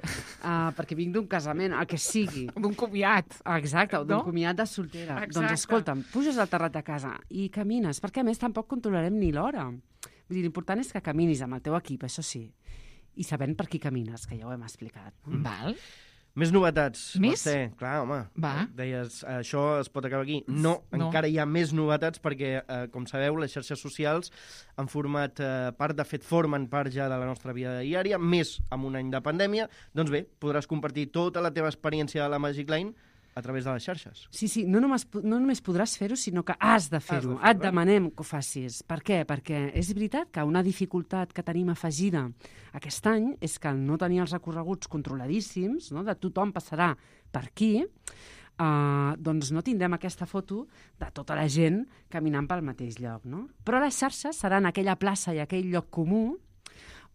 Perquè vinc d'un casament, el que sigui. D'un comiat. Exacte, o d'un comiat de soltera. Doncs escolta'm, puges al terrat de casa i camines, perquè a més tampoc controlarem ni l'hora. Vull dir, l'important és que caminis amb el teu equip, això sí, i sabent per qui camines, que ja ho hem explicat. Val. Més novetats. Més? Mercè, clar, home. Va. Deies, això es pot acabar aquí. No, encara hi ha més novetats perquè, com sabeu, les xarxes socials han format part, de fet, formen part ja de la nostra vida diària, més amb un any de pandèmia. Doncs bé, podràs compartir tota la teva experiència a la Magic Line a través de les xarxes. Sí, no només podràs fer-ho, sinó que has de fer-ho. Et demanem que ho facis. Per què? Perquè és veritat que una dificultat que tenim afegida aquest any és que no tenir els recorreguts controladíssims, no? De tothom passarà per aquí, doncs no tindrem aquesta foto de tota la gent caminant pel mateix lloc, no? Però les xarxes seran aquella plaça i aquell lloc comú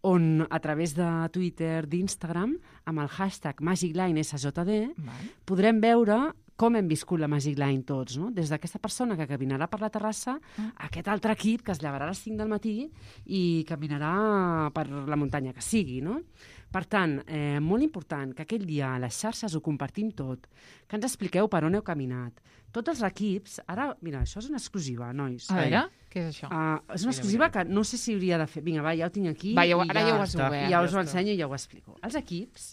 on a través de Twitter, d'Instagram, amb el hashtag MagicLineSJD, podrem veure com hem viscut la Magic Line tots, no? Des d'aquesta persona que caminarà per la terrassa a aquest altre equip que es llevarà a les 5 del matí i caminarà per la muntanya que sigui, no? Per tant, molt important que aquell dia a les xarxes ho compartim tot, que ens expliqueu per on heu caminat. Tots els equips... Ara, mira, això és una exclusiva, nois. A veure, què és això? És una exclusiva que no sé si hauria de fer. Vinga, va, ja ho tinc aquí. Va, ara ja ho has obert. Ja us ho ensenyo i ja ho explico. Els equips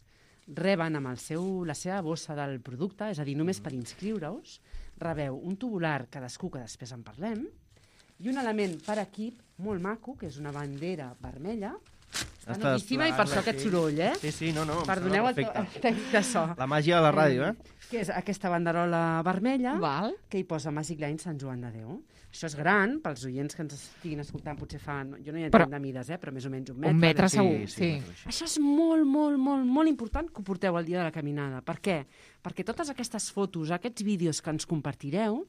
reben amb la seva bossa del producte, és a dir, només per inscriure-us, rebeu un tubular cadascú, que després en parlem, i un element per equip molt maco, que és una bandera vermella. Està novíssima i per això aquest soroll, Sí, no. Perdoneu el tècnic de so. La màgia de la ràdio, Que és aquesta banderola vermella, Val. que hi posa Magic Line Sant Joan de Déu. Això és gran, pels oients que ens estiguin escoltant, potser fan... Jo no hi entenc de mides, però més o menys un metre. Un metre segur, sí. Això és molt, molt, molt, molt important que ho porteu el dia de la caminada. Per què? Perquè totes aquestes fotos, aquests vídeos que ens compartireu,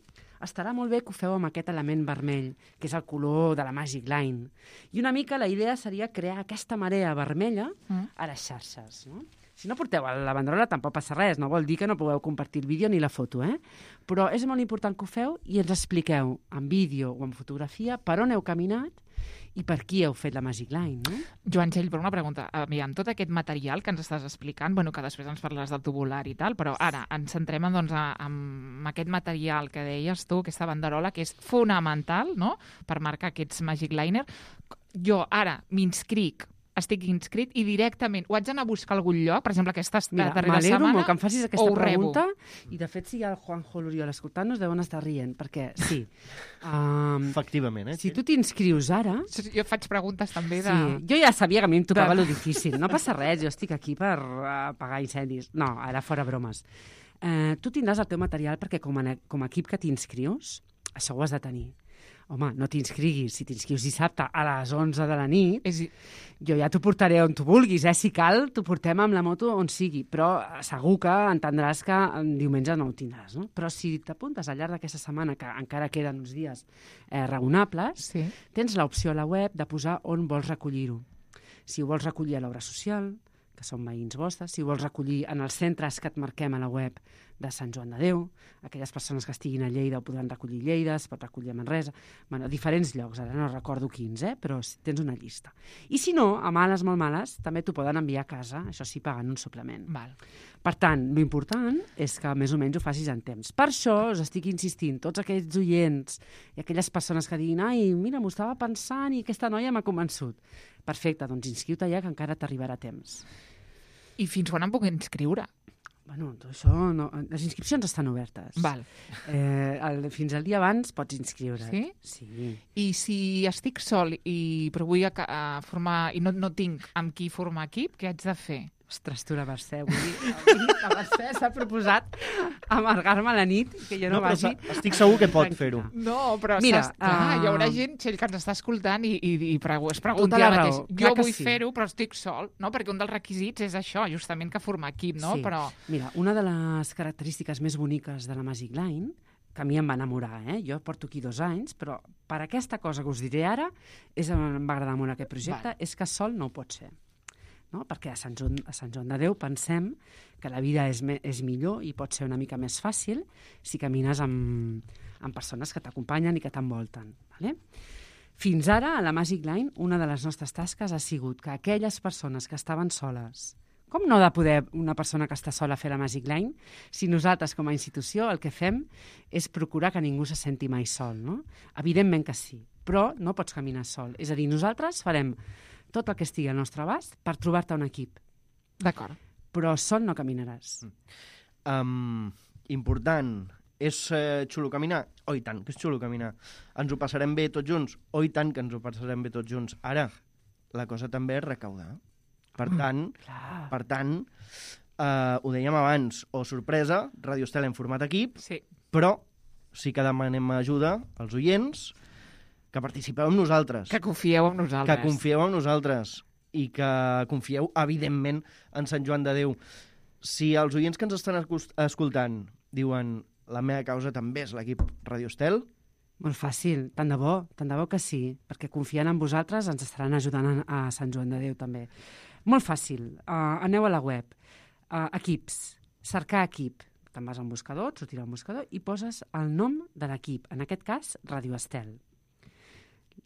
estarà molt bé que ho feu amb aquest element vermell, que és el color de la Magic Line. I una mica la idea seria crear aquesta marea vermella a les xarxes, no? Si no porteu la banderola tampoc passa res, no vol dir que no pugueu compartir el vídeo ni la foto, però és molt important que ho feu i ens expliqueu en vídeo o en fotografia per on heu caminat i per qui heu fet la Magic Line, no? Joan Txell, per una pregunta. Aviam, tot aquest material que ens estàs explicant, bueno, que després ens parlaràs del tubular i tal, però ara ens centrem doncs, en aquest material que deies tu, aquesta banderola, que és fonamental, no?, per marcar aquests Magic Liner. Jo ara m'inscric, estic inscrit i directament ho haig d'anar a buscar a algun lloc, per exemple, aquesta darrera setmana, molt que em facis aquesta pregunta, rebo. I de fet si hi ha el Juanjo l'Oriol escoltant-nos deuen estar rient, perquè sí. Efectivament, si tu t'inscrius ara... Jo faig preguntes també de... Sí, jo ja sabia que a mi em tocava lo difícil, no passa res, jo estic aquí per apagar incendis. No, ara fora bromes. Tu tindràs el teu material perquè com a equip que t'inscrius, això ho has de tenir. Home, no t'inscriguis. Si t'inscrius dissabte a les 11 de la nit, jo ja t'ho portaré on tu vulguis, Si cal, t'ho portem amb la moto on sigui, però segur que entendràs que diumenge no ho tindràs, no? Però si t'apuntes al llarg d'aquesta setmana, que encara queden uns dies raonables, tens l'opció a la web de posar on vols recollir-ho. Si ho vols recollir a l'obra social, que són veïns vostres, si ho vols recollir en els centres que et marquem a la web de Sant Joan de Déu, aquelles persones que estiguin a Lleida ho podran recollir a Lleida, es pot recollir a Manresa, bueno, a diferents llocs, ara no recordo quins, però tens una llista. I si no, a males, molt males, també t'ho poden enviar a casa, això sí, pagant un suplement. Val. Per tant, l'important és que més o menys ho facis en temps. Per això us estic insistint, tots aquells oients i aquelles persones que diguin ai, mira, m'ho estava pensant i aquesta noia m'ha convençut. Perfecte, doncs inscriu-te ja que encara t'arribarà a temps. I fins quan em puc inscriure? Bueno, això no... Les inscripcions estan obertes. Val. Fins al dia abans pots inscriure. Sí? Sí. I si estic sol però vull formar i no tinc amb qui formar equip, què haig de fer? Ostres, tu la Mercè, vull dir, la Mercè s'ha proposat amargar-me la nit, que jo no vagi... Estic segur que pot fer-ho. No, però mira, hi haurà gent, Txell, que ens està escoltant i es pregunta tota la raó. Jo vull fer-ho, però estic sol, no? Perquè un dels requisits és això, justament que formar equip, no? Sí. Però... Mira, una de les característiques més boniques de la Magic Line, que a mi em va enamorar, jo porto aquí 2 anys, però per aquesta cosa que us diré ara, em va agradar molt aquest projecte, és que sol no ho pot ser. No? Perquè a Sant Joan de Déu pensem que la vida és millor i pot ser una mica més fàcil si camines amb persones que t'acompanyen i que t'envolten. Vale? Fins ara, a la Magic Line, una de les nostres tasques ha sigut que aquelles persones que estaven soles, com no ha de poder una persona que està sola fer la Magic Line, si nosaltres com a institució el que fem és procurar que ningú se senti mai sol, no? Evidentment que sí, però no pots caminar sol. És a dir, nosaltres farem tot el que estigui al nostre abast per trobar-te un equip. D'acord. Però sol no caminaràs. Important. És xulo caminar? Oh, i tant, que és xulo caminar. Ens ho passarem bé tots junts? Oh, i tant, que ens ho passarem bé tots junts. Ara, la cosa també és recaudar. Per tant, ho dèiem abans, o sorpresa, Radio Estel en format equip, però sí que demanem ajuda als oients, que participeu amb nosaltres. Que confieu en nosaltres. Que confieu en nosaltres i que confieu, evidentment, en Sant Joan de Déu. Si els oients que ens estan escoltant diuen la meva causa també és l'equip Radio Estel... Molt fàcil, tant de bo que sí, perquè confiant en vosaltres ens estaran ajudant a Sant Joan de Déu també. Molt fàcil, aneu a la web, equips, cercar equip, te'n vas a un buscador, et sortirà un buscador i poses el nom de l'equip, en aquest cas Radio Estel.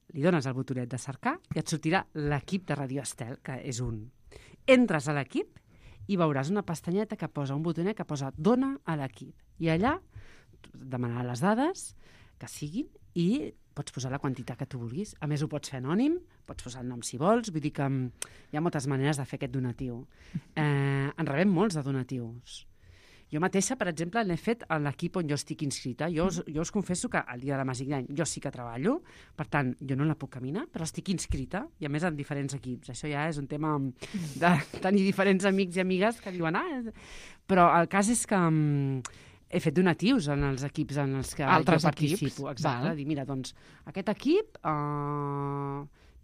Li dones el botonet de cercar i et sortirà l'equip de Radio Estel, que és un. Entres a l'equip i veuràs una pestanyeta que posa un botonet que posa dona a l'equip. I allà demanarà les dades que siguin i pots posar la quantitat que tu vulguis. A més, ho pots fer anònim, pots posar el nom si vols, vull dir que hi ha moltes maneres de fer aquest donatiu. En rebem molts de donatius. Jo mateixa, per exemple, l'he fet a l'equip on jo estic inscrita. Jo us confesso que el dia de la Magic Line jo sí que treballo, per tant, jo no la puc caminar, però estic inscrita, i a més en diferents equips. Això ja és un tema de tenir diferents amics i amigues que diuen Però el cas és que he fet donatius en els equips en els que jo participo. Exacte, dir, mira, doncs, aquest equip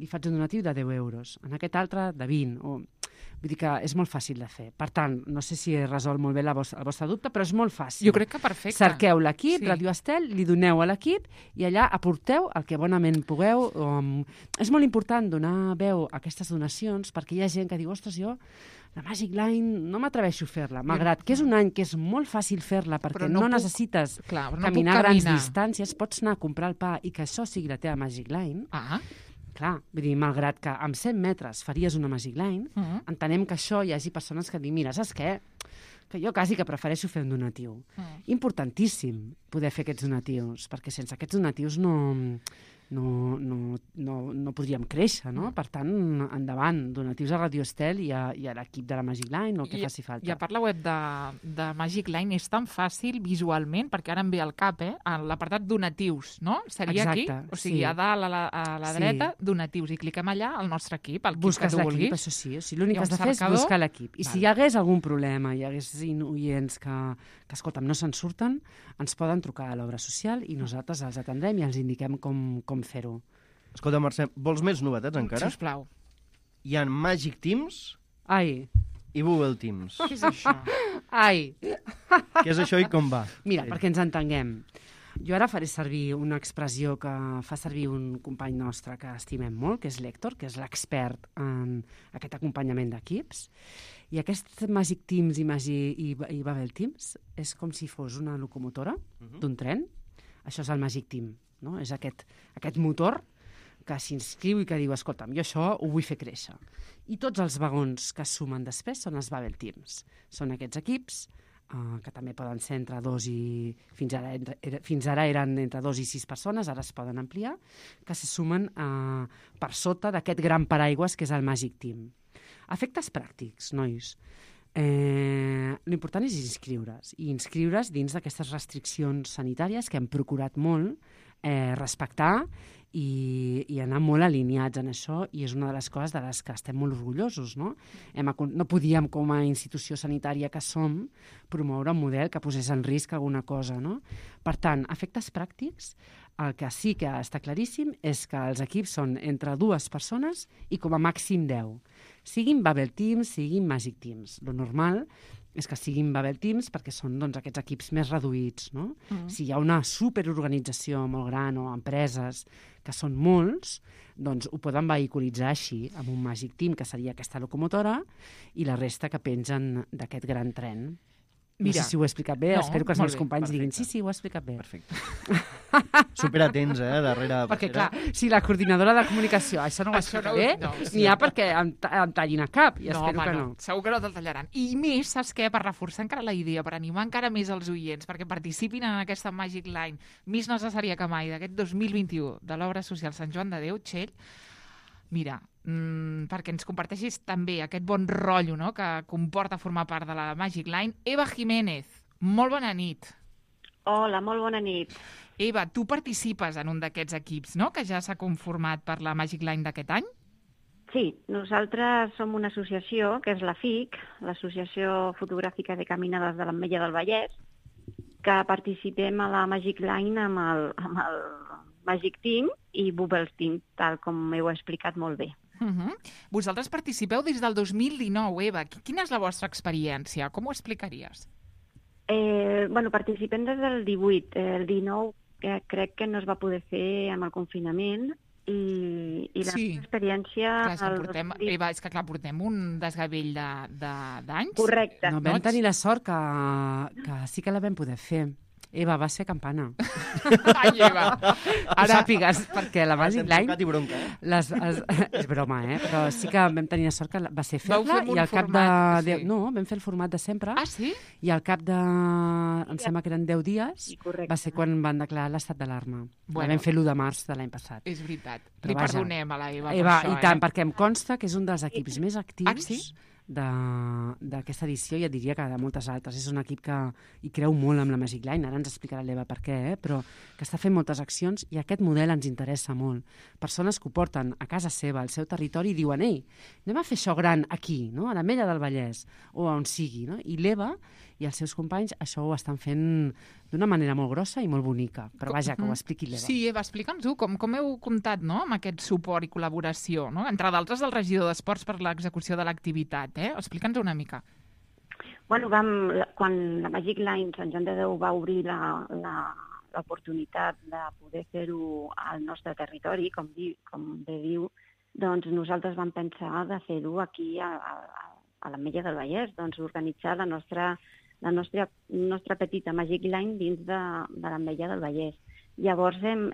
li faig un donatiu de 10 euros, en aquest altre de 20, vull dir que és molt fàcil de fer. Per tant, no sé si he resolt molt bé el vostre dubte, però és molt fàcil. Jo crec que perfecte. Cerqueu l'equip, Radio Estel, li doneu a l'equip i allà aporteu el que bonament pugueu. És molt important donar veu a aquestes donacions perquè hi ha gent que diu, ostres, jo la Magic Line no m'atreveixo a fer-la, malgrat que és un any que és molt fàcil fer-la perquè no necessites caminar grans distàncies, pots anar a comprar el pa i que això sigui la teva Magic Line. Clar, vull dir, malgrat que amb 100 metres faries una Magic Line, entenem que això hi hagi persones que diuen, mira, saps què? Que jo quasi que prefereixo fer un donatiu. Importantíssim poder fer aquests donatius, perquè sense aquests donatius no podríem créixer, no? Per tant, endavant, donatius a Radio Estel i a l'equip de la Magic Line, o el que faci falta. I a part la web de Magic Line és tan fàcil visualment, perquè ara em ve al cap, l'apartat donatius, no? Seria aquí? O sigui, a dalt, a la dreta, donatius, i cliquem allà al nostre equip, el equip que tu vulguis. Busques l'equip, això sí. O sigui, l'únic que has de fer és buscar l'equip. I si hi hagués algun problema, hi hagués oients que escolta'm, no se'n surten, ens poden trucar a l'obra social i nosaltres els atendrem i els indiquem com fer-ho. Escolta, Mercè, vols més novetats encara? Sisplau. Hi ha Magic Teams i Google Teams. Què és això? Què és això i com va? Mira, perquè ens entenguem. Jo ara faré servir una expressió que fa servir un company nostre que estimem molt, que és l'Héctor, que és l'expert en aquest acompanyament d'equips. I aquest Magic Teams i Babel Teams és com si fos una locomotora d'un tren. Això és el Magic Team, no? És aquest motor que s'inscriu i que diu, escolta'm, jo això ho vull fer créixer. I tots els vagons que es sumen després són els Babel Teams. Són aquests equips que també poden ser entre 2 i... Fins ara eren entre 2 i 6 persones, ara es poden ampliar, que se sumen per sota d'aquest gran paraigües que és el Magic Team. Efectes pràctics, nois. L'important és inscriure's dins d'aquestes restriccions sanitàries que hem procurat molt respectar i anar molt alineats en això, i és una de les coses de les que estem molt orgullosos, no? No podíem, com a institució sanitària que som, promoure un model que posés en risc alguna cosa, no? Per tant, efectes pràctics, el que sí que està claríssim és que els equips són entre 2 persones i com a màxim 10. Siguin Babel Teams, siguin Magic Teams. Lo normal és que siguin Babel Teams perquè són aquests equips més reduïts, no? Si hi ha una superorganització molt gran o empreses que són molts, doncs ho poden vehiculitzar així, amb un Magic Team, que seria aquesta locomotora, i la resta que pengen d'aquest gran tren. No sé si ho he explicat bé, espero que els meus companys diguin sí, ho he explicat bé. Perfecte. Superatents, darrere. Perquè, clar, si la coordinadora de comunicació això no ho explica bé, n'hi ha perquè em tallin a cap, i espero que no. Segur que no te'l tallaran. I més, saps què? Per reforçar encara la idea, per animar encara més els oients, perquè participin en aquesta Magic Line més necessària que mai d'aquest 2021 de l'obra social Sant Joan de Déu, Txell, mira, perquè ens comparteixis també aquest bon rotllo, no?, que comporta formar part de la Magic Line. Eva Jiménez, molt bona nit. Hola, molt bona nit. Eva, tu participes en un d'aquests equips, no?, que ja s'ha conformat per la Magic Line d'aquest any? Sí, nosaltres som una associació, que és la FIC, l'Associació Fotogràfica de Caminades de l'Ametlla del Vallès, que participem a la Magic Line amb el Magic Team i Bubbles Team, tal com heu explicat molt bé. Vosaltres participeu des del 2019, Eva. Quina és la vostra experiència? Com ho explicaries? Participem des del 18. El 19 crec que no es va poder fer amb el confinament i la nostra experiència... Eva, és que clar, portem un desgavell d'anys. Correcte. No, vam tenir la sort que sí que la vam poder fer. Eva, va ser campana. Ai, Eva! Ara sàpigues, perquè la Magic Line... Bronca, És broma, però sí que vam tenir la sort que va ser fer-la i al cap de... No, vam fer el format de sempre. Ah, sí? I al cap de... Em sembla que eren 10 dies, va ser quan van declarar l'estat d'alarma. La vam fer l'1 de març de l'any passat. És veritat. Li perdonem a la Eva per això. I tant, perquè em consta que és un dels equips més actius d'aquesta edició, i et diria que de moltes altres. És un equip que hi creu molt amb la Magic Line, ara ens explicarà l'Eva per què, però que està fent moltes accions i aquest model ens interessa molt. Persones que ho porten a casa seva, al seu territori, i diuen, ei, anem a fer això gran aquí, no? A l'Ametlla del Vallès, o on sigui, no? I l'Eva i els seus companys això ho estan fent d'una manera molt grossa i molt bonica. Però vaja, que ho expliqui l'Eva. Sí, Eva, explica'ns-ho, com heu comptat, no?, amb aquest suport i col·laboració, no?, entre d'altres del regidor d'Esports per l'execució de l'activitat, Explica'ns una mica. Quan la Magic Line Sant Joan de Déu va obrir l'oportunitat de poder fer-ho al nostre territori, com bé diu, doncs nosaltres vam pensar de fer-ho aquí a l'Ametlla del Vallès, doncs organitzar la nostra petita Magic Line dins de l'Ametlla del Vallès. Llavors hem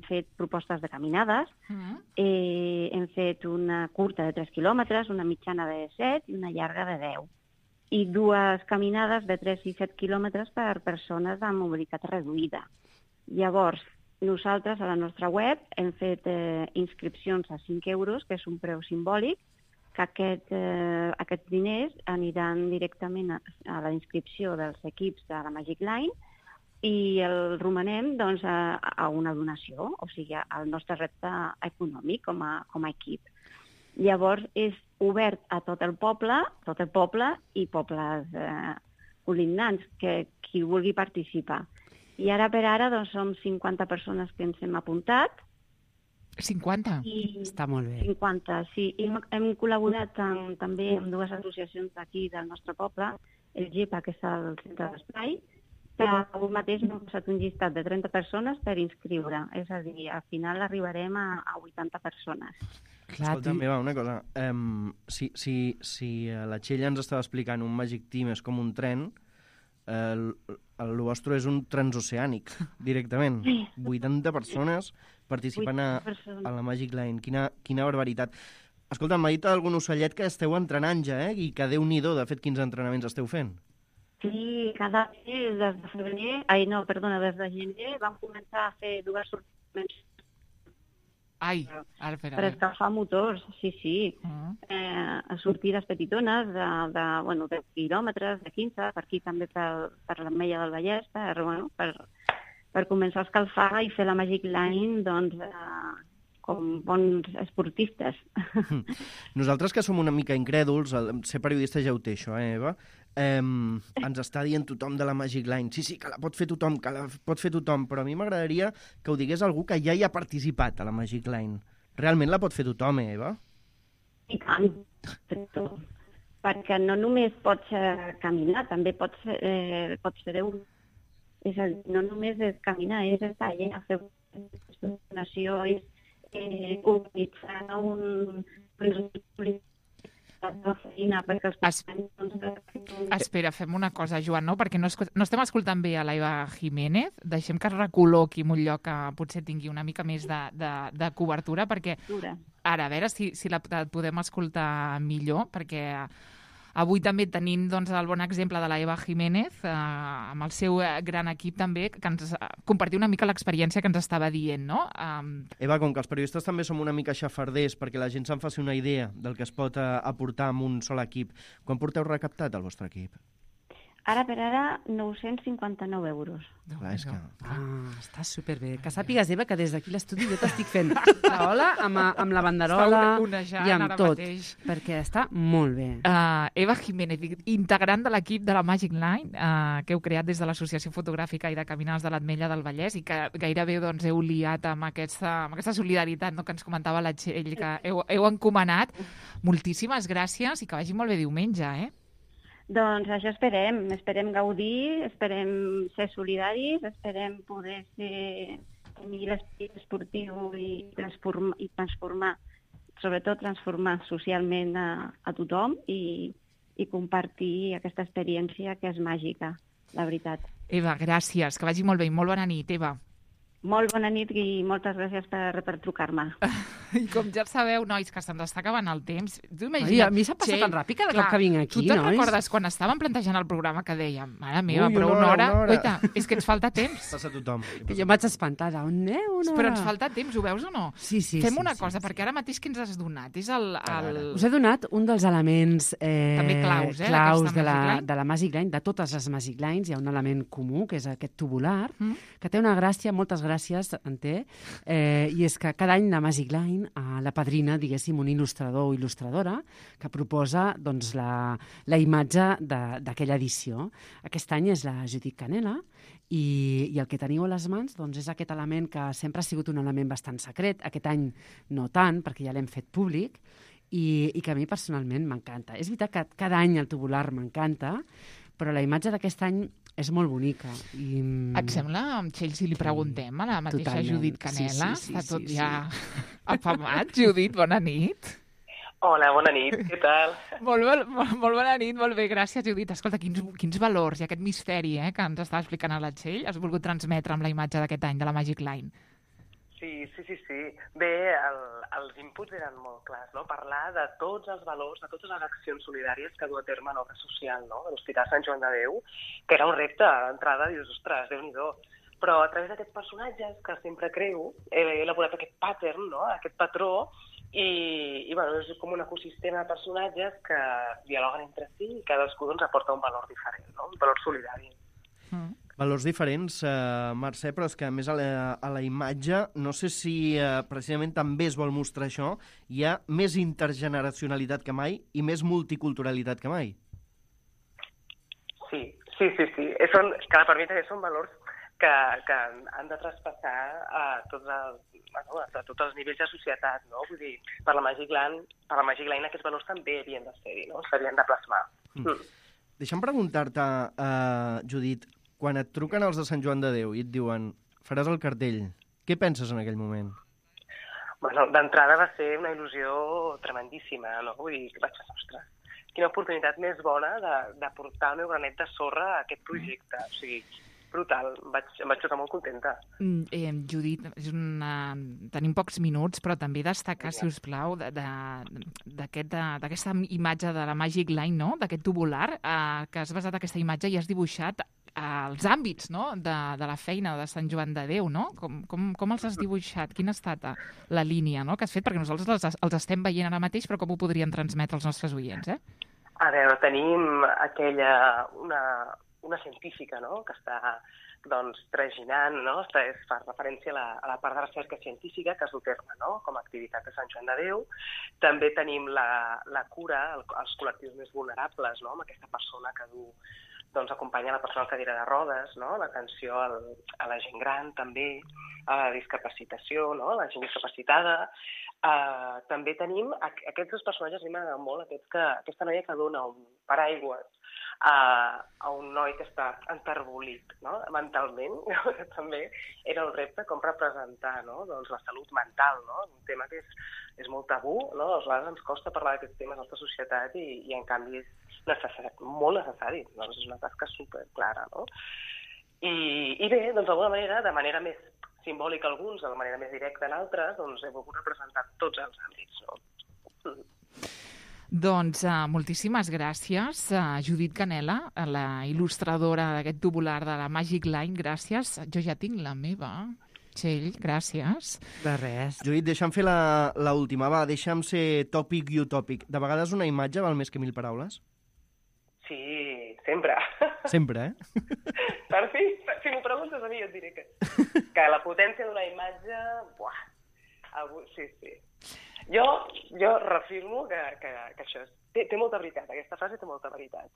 fet propostes de caminades, hem fet una curta de 3 quilòmetres, una mitjana de 7 i una llarga de 10. I 2 caminades de 3 i 7 quilòmetres per persones amb mobilitat reduïda. Llavors, nosaltres a la nostra web hem fet inscripcions a 5 euros, que és un preu simbòlic, que aquests diners aniran directament a la inscripció dels equips de la Magic Line i el romanem doncs, a una donació, o sigui, al nostre repte econòmic com a equip. Llavors, és obert a tot el poble i pobles col·lignants, que qui vulgui participar. I ara per ara doncs, som 50 persones que ens hem apuntat. 50? Està molt bé. 50, sí. I hem col·laborat també amb 2 associacions d'aquí del nostre poble, el GEPA, que és el centre d'espai, que avui mateix m'ha posat un llistat de 30 persones per inscriure. És a dir, al final arribarem a 80 persones. Escolta, meva, una cosa. Si la Txell ens estava explicant un Magic Team és com un tren, el vostre és un transoceànic, directament. 80 persones participant a la Magic Line. Quina barbaritat. Escolta, m'ha dit algun ocellet que esteu entrenant ja, i que Déu-n'hi-do, de fet, quins entrenaments esteu fent? Sí, cada mes, des de gener vam començar a fer 2 sortiments. Per escalfar motors, sí. Sortides petitones de quilòmetres, de 15, per aquí també per l'Ametlla del Vallès, per començar a escalfar i fer la Magic Line com bons esportistes. Nosaltres que som una mica incrèduls, ser periodista ja ho té això, Eva? Ens està dient tothom de la Magic Line. Sí, que la pot fer tothom, però a mi m'agradaria que ho digués algú que ja hi ha participat a la Magic Line. Realment la pot fer tothom, Eva? I tant, perquè no només pots caminar, també pots fer-ho. És a dir, no només és caminar, és estar allà, fer una donació, és organitzar Espera, fem una cosa, Joan, no? Perquè no estem escoltant bé a l'Eva Jiménez. Deixem que es recol·loqui en un lloc que potser tingui una mica més de cobertura, perquè ara, a veure si la podem escoltar millor, perquè avui també tenim el bon exemple de l'Eva Jiménez, amb el seu gran equip també, que ens compartir una mica l'experiència que ens estava dient, no? Eva, com que els periodistes també som una mica xafarders perquè la gent se'n faci una idea del que es pot aportar amb un sol equip, quan porteu recaptat el vostre equip? Ara per ara, 959 euros. Està superbé. Que sàpigues, Eva, que des d'aquí l'estudi jo t'estic fent la ola amb la banderola i amb tot, perquè està molt bé. Eva Jiménez, integrant de l'equip de la Magic Line, que heu creat des de l'Associació Fotogràfica i de Caminars de l'Ametlla del Vallès i que gairebé heu liat amb aquesta solidaritat que ens comentava la Txell, que heu encomanat. Moltíssimes gràcies i que vagi molt bé diumenge, Doncs això esperem gaudir, esperem ser solidaris, esperem poder tenir l'esperit esportiu i transformar, sobretot transformar socialment a tothom i compartir aquesta experiència que és màgica, la veritat. Eva, gràcies, que vagi molt bé i molt bona nit, Eva. Molt bona nit i moltes gràcies per trucar-me. I com ja sabeu, nois, que se'ns està acabant el temps. A mi se'm passa tan ràpid cada cop que vinc aquí, nois. Tu te'n recordes quan estàvem plantejant el programa que dèiem, mare meva, però una hora... Oita, és que ens falta temps. Passa tothom. Que jo m'haig espantada. On aneu? Però ens falta temps, ho veus o no? Sí. Fem una cosa, perquè ara mateix que ens has donat? Us he donat un dels elements també claus de la Magic Line, de totes les Magic Lines. Hi ha un element comú, que és aquest tubular, que té una gràcia, moltes gràcies, en té, i és que cada any la Magic Line la padrina, diguéssim, un il·lustrador o il·lustradora que proposa la imatge d'aquella edició. Aquest any és la Judit Canela i el que teniu a les mans és aquest element que sempre ha sigut un element bastant secret. Aquest any no tant, perquè ja l'hem fet públic i que a mi personalment m'encanta. És veritat que cada any el tubular m'encanta, però la imatge d'aquest any és molt bonica. Et sembla, Txell, si li preguntem a la mateixa Judit Canela? Està tot ja afamat. Judit, bona nit. Hola, bona nit, què tal? Molt bona nit, molt bé, gràcies, Judit. Escolta, quins valors i aquest misteri que ens està explicant a la Txell has volgut transmetre amb la imatge d'aquest any de la Magic Line? Sí. Bé, els inputs eren molt clars, no? Parlar de tots els valors, de totes les accions solidàries que du a terme l'obra social, no? De l'Hospital Sant Joan de Déu, que era un repte d'entrada, dius, ostres, Déu-n'hi-do. Però a través d'aquests personatges que sempre creu, he elaborat aquest pattern, no? Aquest patró, i bueno, és com un ecosistema de personatges que dialoguen entre si i cadascú doncs, aporta un valor diferent, no? Un valor solidari. Valors diferents, Mercè, però és que a més a la imatge, no sé si precisament també es vol mostrar això, hi ha més intergeneracionalitat que mai i més multiculturalitat que mai. Sí. Clar, per mi també són valors que han de traspassar a tots els nivells de societat, no? Vull dir, per la Magic Line aquests valors també havien de ser-hi, no? S'havien de plasmar. Deixa'm preguntar-te, Judit, quan et truquen els de Sant Joan de Déu i et diuen faràs el cartell, què penses en aquell moment? Bueno, d'entrada va ser una il·lusió tremendíssima, no? Vull dir, vaig pensar, ostres, quina oportunitat més bona de portar el meu granet de sorra a aquest projecte. O sigui, brutal, em vaig posar molt contenta. Judit, tenim pocs minuts, però també destacar, si us plau, d'aquesta imatge de la Magic Line, no? D'aquest tubular, que has basat aquesta imatge i has dibuixat els àmbits, no? de la feina de Sant Joan de Déu, no? Com els has dibuixat? Quina ha estat la línia, no? Que has fet? Perquè nosaltres els estem veient ara mateix, però com ho podríem transmetre als nostres oients, A veure, tenim una científica, no?, que està doncs, traginant, no? Fa referència a la part de recerca científica que es du a terme, no?, com a activitat de Sant Joan de Déu. També tenim la cura als col·lectius més vulnerables, no?, amb aquesta persona que doncs, acompanya la persona en cadira de rodes, no?, l'atenció a la gent gran també, a la discapacitació, no?, a la gent discapacitada. També tenim aquests dos personatges, a mi m'agrada molt, aquesta noia que dona un paraigües a un noi que està enterbolit, no?, mentalment, que també era un repte com representar, no?, doncs, la salut mental, no?, un tema que és molt tabú, no?, a vegades ens costa parlar d'aquests temes a la nostra societat i en canvi és molt necessari, doncs és una tasca superclara, no? I bé, doncs d'alguna manera, de manera més simbòlica alguns, de manera més directa en altres, doncs he volgut representar tots els àmbits, no? Doncs moltíssimes gràcies, Judit Canela, la il·lustradora d'aquest tubular de la Magic Line. Gràcies. Jo ja tinc la meva. Txell, gràcies. De res. Judit, deixa'm fer l'última. Va, deixa'm ser tòpic i utòpic. De vegades una imatge val més que 1000 paraules? Sí, sempre. Sempre, Per fi, si m'ho preguntes a mi, jo et diré que la potència d'una imatge... Sí. Jo reafirmo que això té molta veritat, aquesta frase té molta veritat.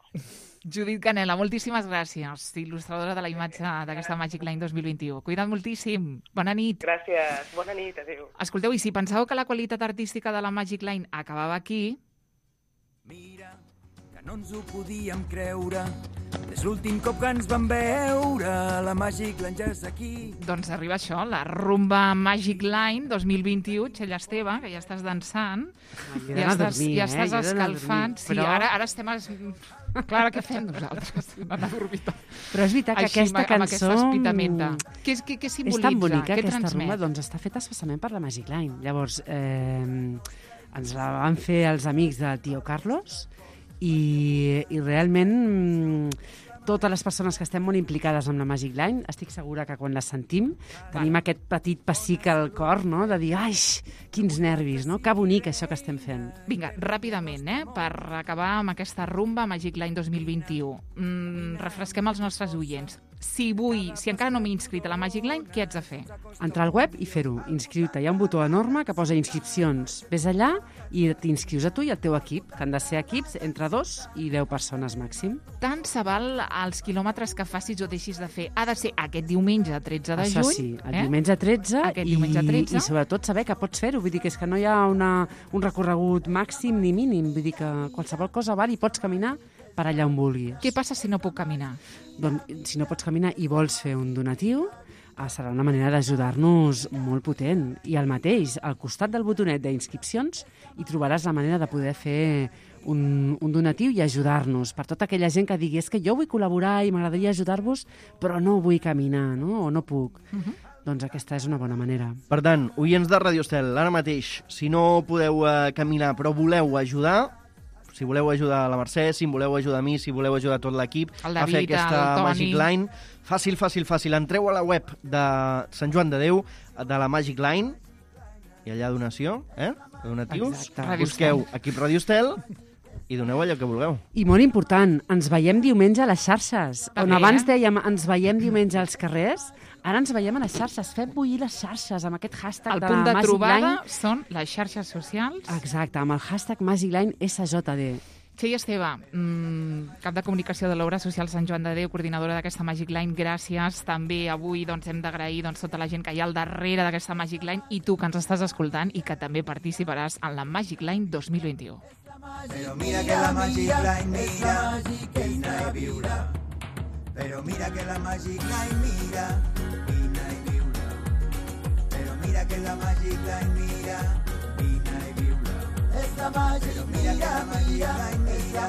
Judit Canela, moltíssimes gràcies, il·lustradora de la imatge d'aquesta Magic Line 2021. Cuida't moltíssim. Bona nit. Gràcies, bona nit, adéu. Escolteu, i si pensàveu que la qualitat artística de la Magic Line acabava aquí... Mira, que no ens ho podíem creure. És l'últim cop que ens vam veure, la Magic Line ja és aquí. Doncs arriba això, la rumba Magic Line 2021, Txell Esteve, que ja estàs dansant, ja estàs escalfant. Sí, ara estem... Clar, què fem nosaltres? Però és veritat que aquesta cançó què simbolitza? És tan bonica, aquesta rumba, doncs està feta especialment per la Magic Line. Llavors, ens la van fer els amics del tio Carlos i realment totes les persones que estem molt implicades amb la Magic Line, estic segura que quan la sentim tenim aquest petit pessic al cor, no?, de dir, ai, quins nervis, no?, que bonic això que estem fent. Vinga, ràpidament, per acabar amb aquesta rumba Magic Line 2021. Refresquem els nostres oients. Si encara no m'he inscrit a la Magic Line, què haig de fer? Entrar al web i fer-ho, inscriure-te. Hi ha un botó enorme que posa inscripcions. Ves allà i t'inscrius a tu i al teu equip, que han de ser equips entre 2 i 10 persones màxim. Tant se val els quilòmetres que facis o deixis de fer. Ha de ser aquest diumenge 13 de juny. Això sí, el diumenge 13 i sobretot saber que pots fer-ho. Vull dir que és que no hi ha un recorregut màxim ni mínim. Vull dir que qualsevol cosa val i pots caminar per allà on vulguis. Què passa si no puc caminar? Doncs si no pots caminar i vols fer un donatiu, serà una manera d'ajudar-nos molt potent. I el mateix, al costat del botonet d'inscripcions, hi trobaràs la manera de poder fer un donatiu i ajudar-nos. Per tota aquella gent que digui és que jo vull col·laborar i m'agradaria ajudar-vos, però no vull caminar, no? O no puc. Doncs aquesta és una bona manera. Per tant, oients de Radio Estel, ara mateix, si no podeu caminar però voleu ajudar, si voleu ajudar a la Mercè, si em voleu ajudar a mi, si voleu ajudar a tot l'equip a fer aquesta Magic Line, fàcil. Entreu a la web de Sant Joan de Déu, de la Magic Line, i allà donació, donatius, busqueu equip Radio Estel i doneu allò que vulgueu. I molt important, ens veiem diumenge a les xarxes. On abans dèiem ens veiem diumenge als carrers, ara ens veiem a les xarxes. Fem bullir les xarxes amb aquest hashtag de la Magic Line. El punt de trobada són les xarxes socials. Exacte, amb el hashtag Magic Line SJD. Txell Esteve, cap de comunicació de l'Obra Social Sant Joan de Déu, coordinadora d'aquesta Magic Line, gràcies. També avui hem d'agrair tota la gent que hi ha al darrere d'aquesta Magic Line i tu que ens estàs escoltant i que també participaràs en la Magic Line 2021. Però mira que la Magic Line mira, vine i viure. Però mira que la Magic Line mira, vine i viure. Però mira que la Magic Line mira, vine i viure. Esta Magic Line mira,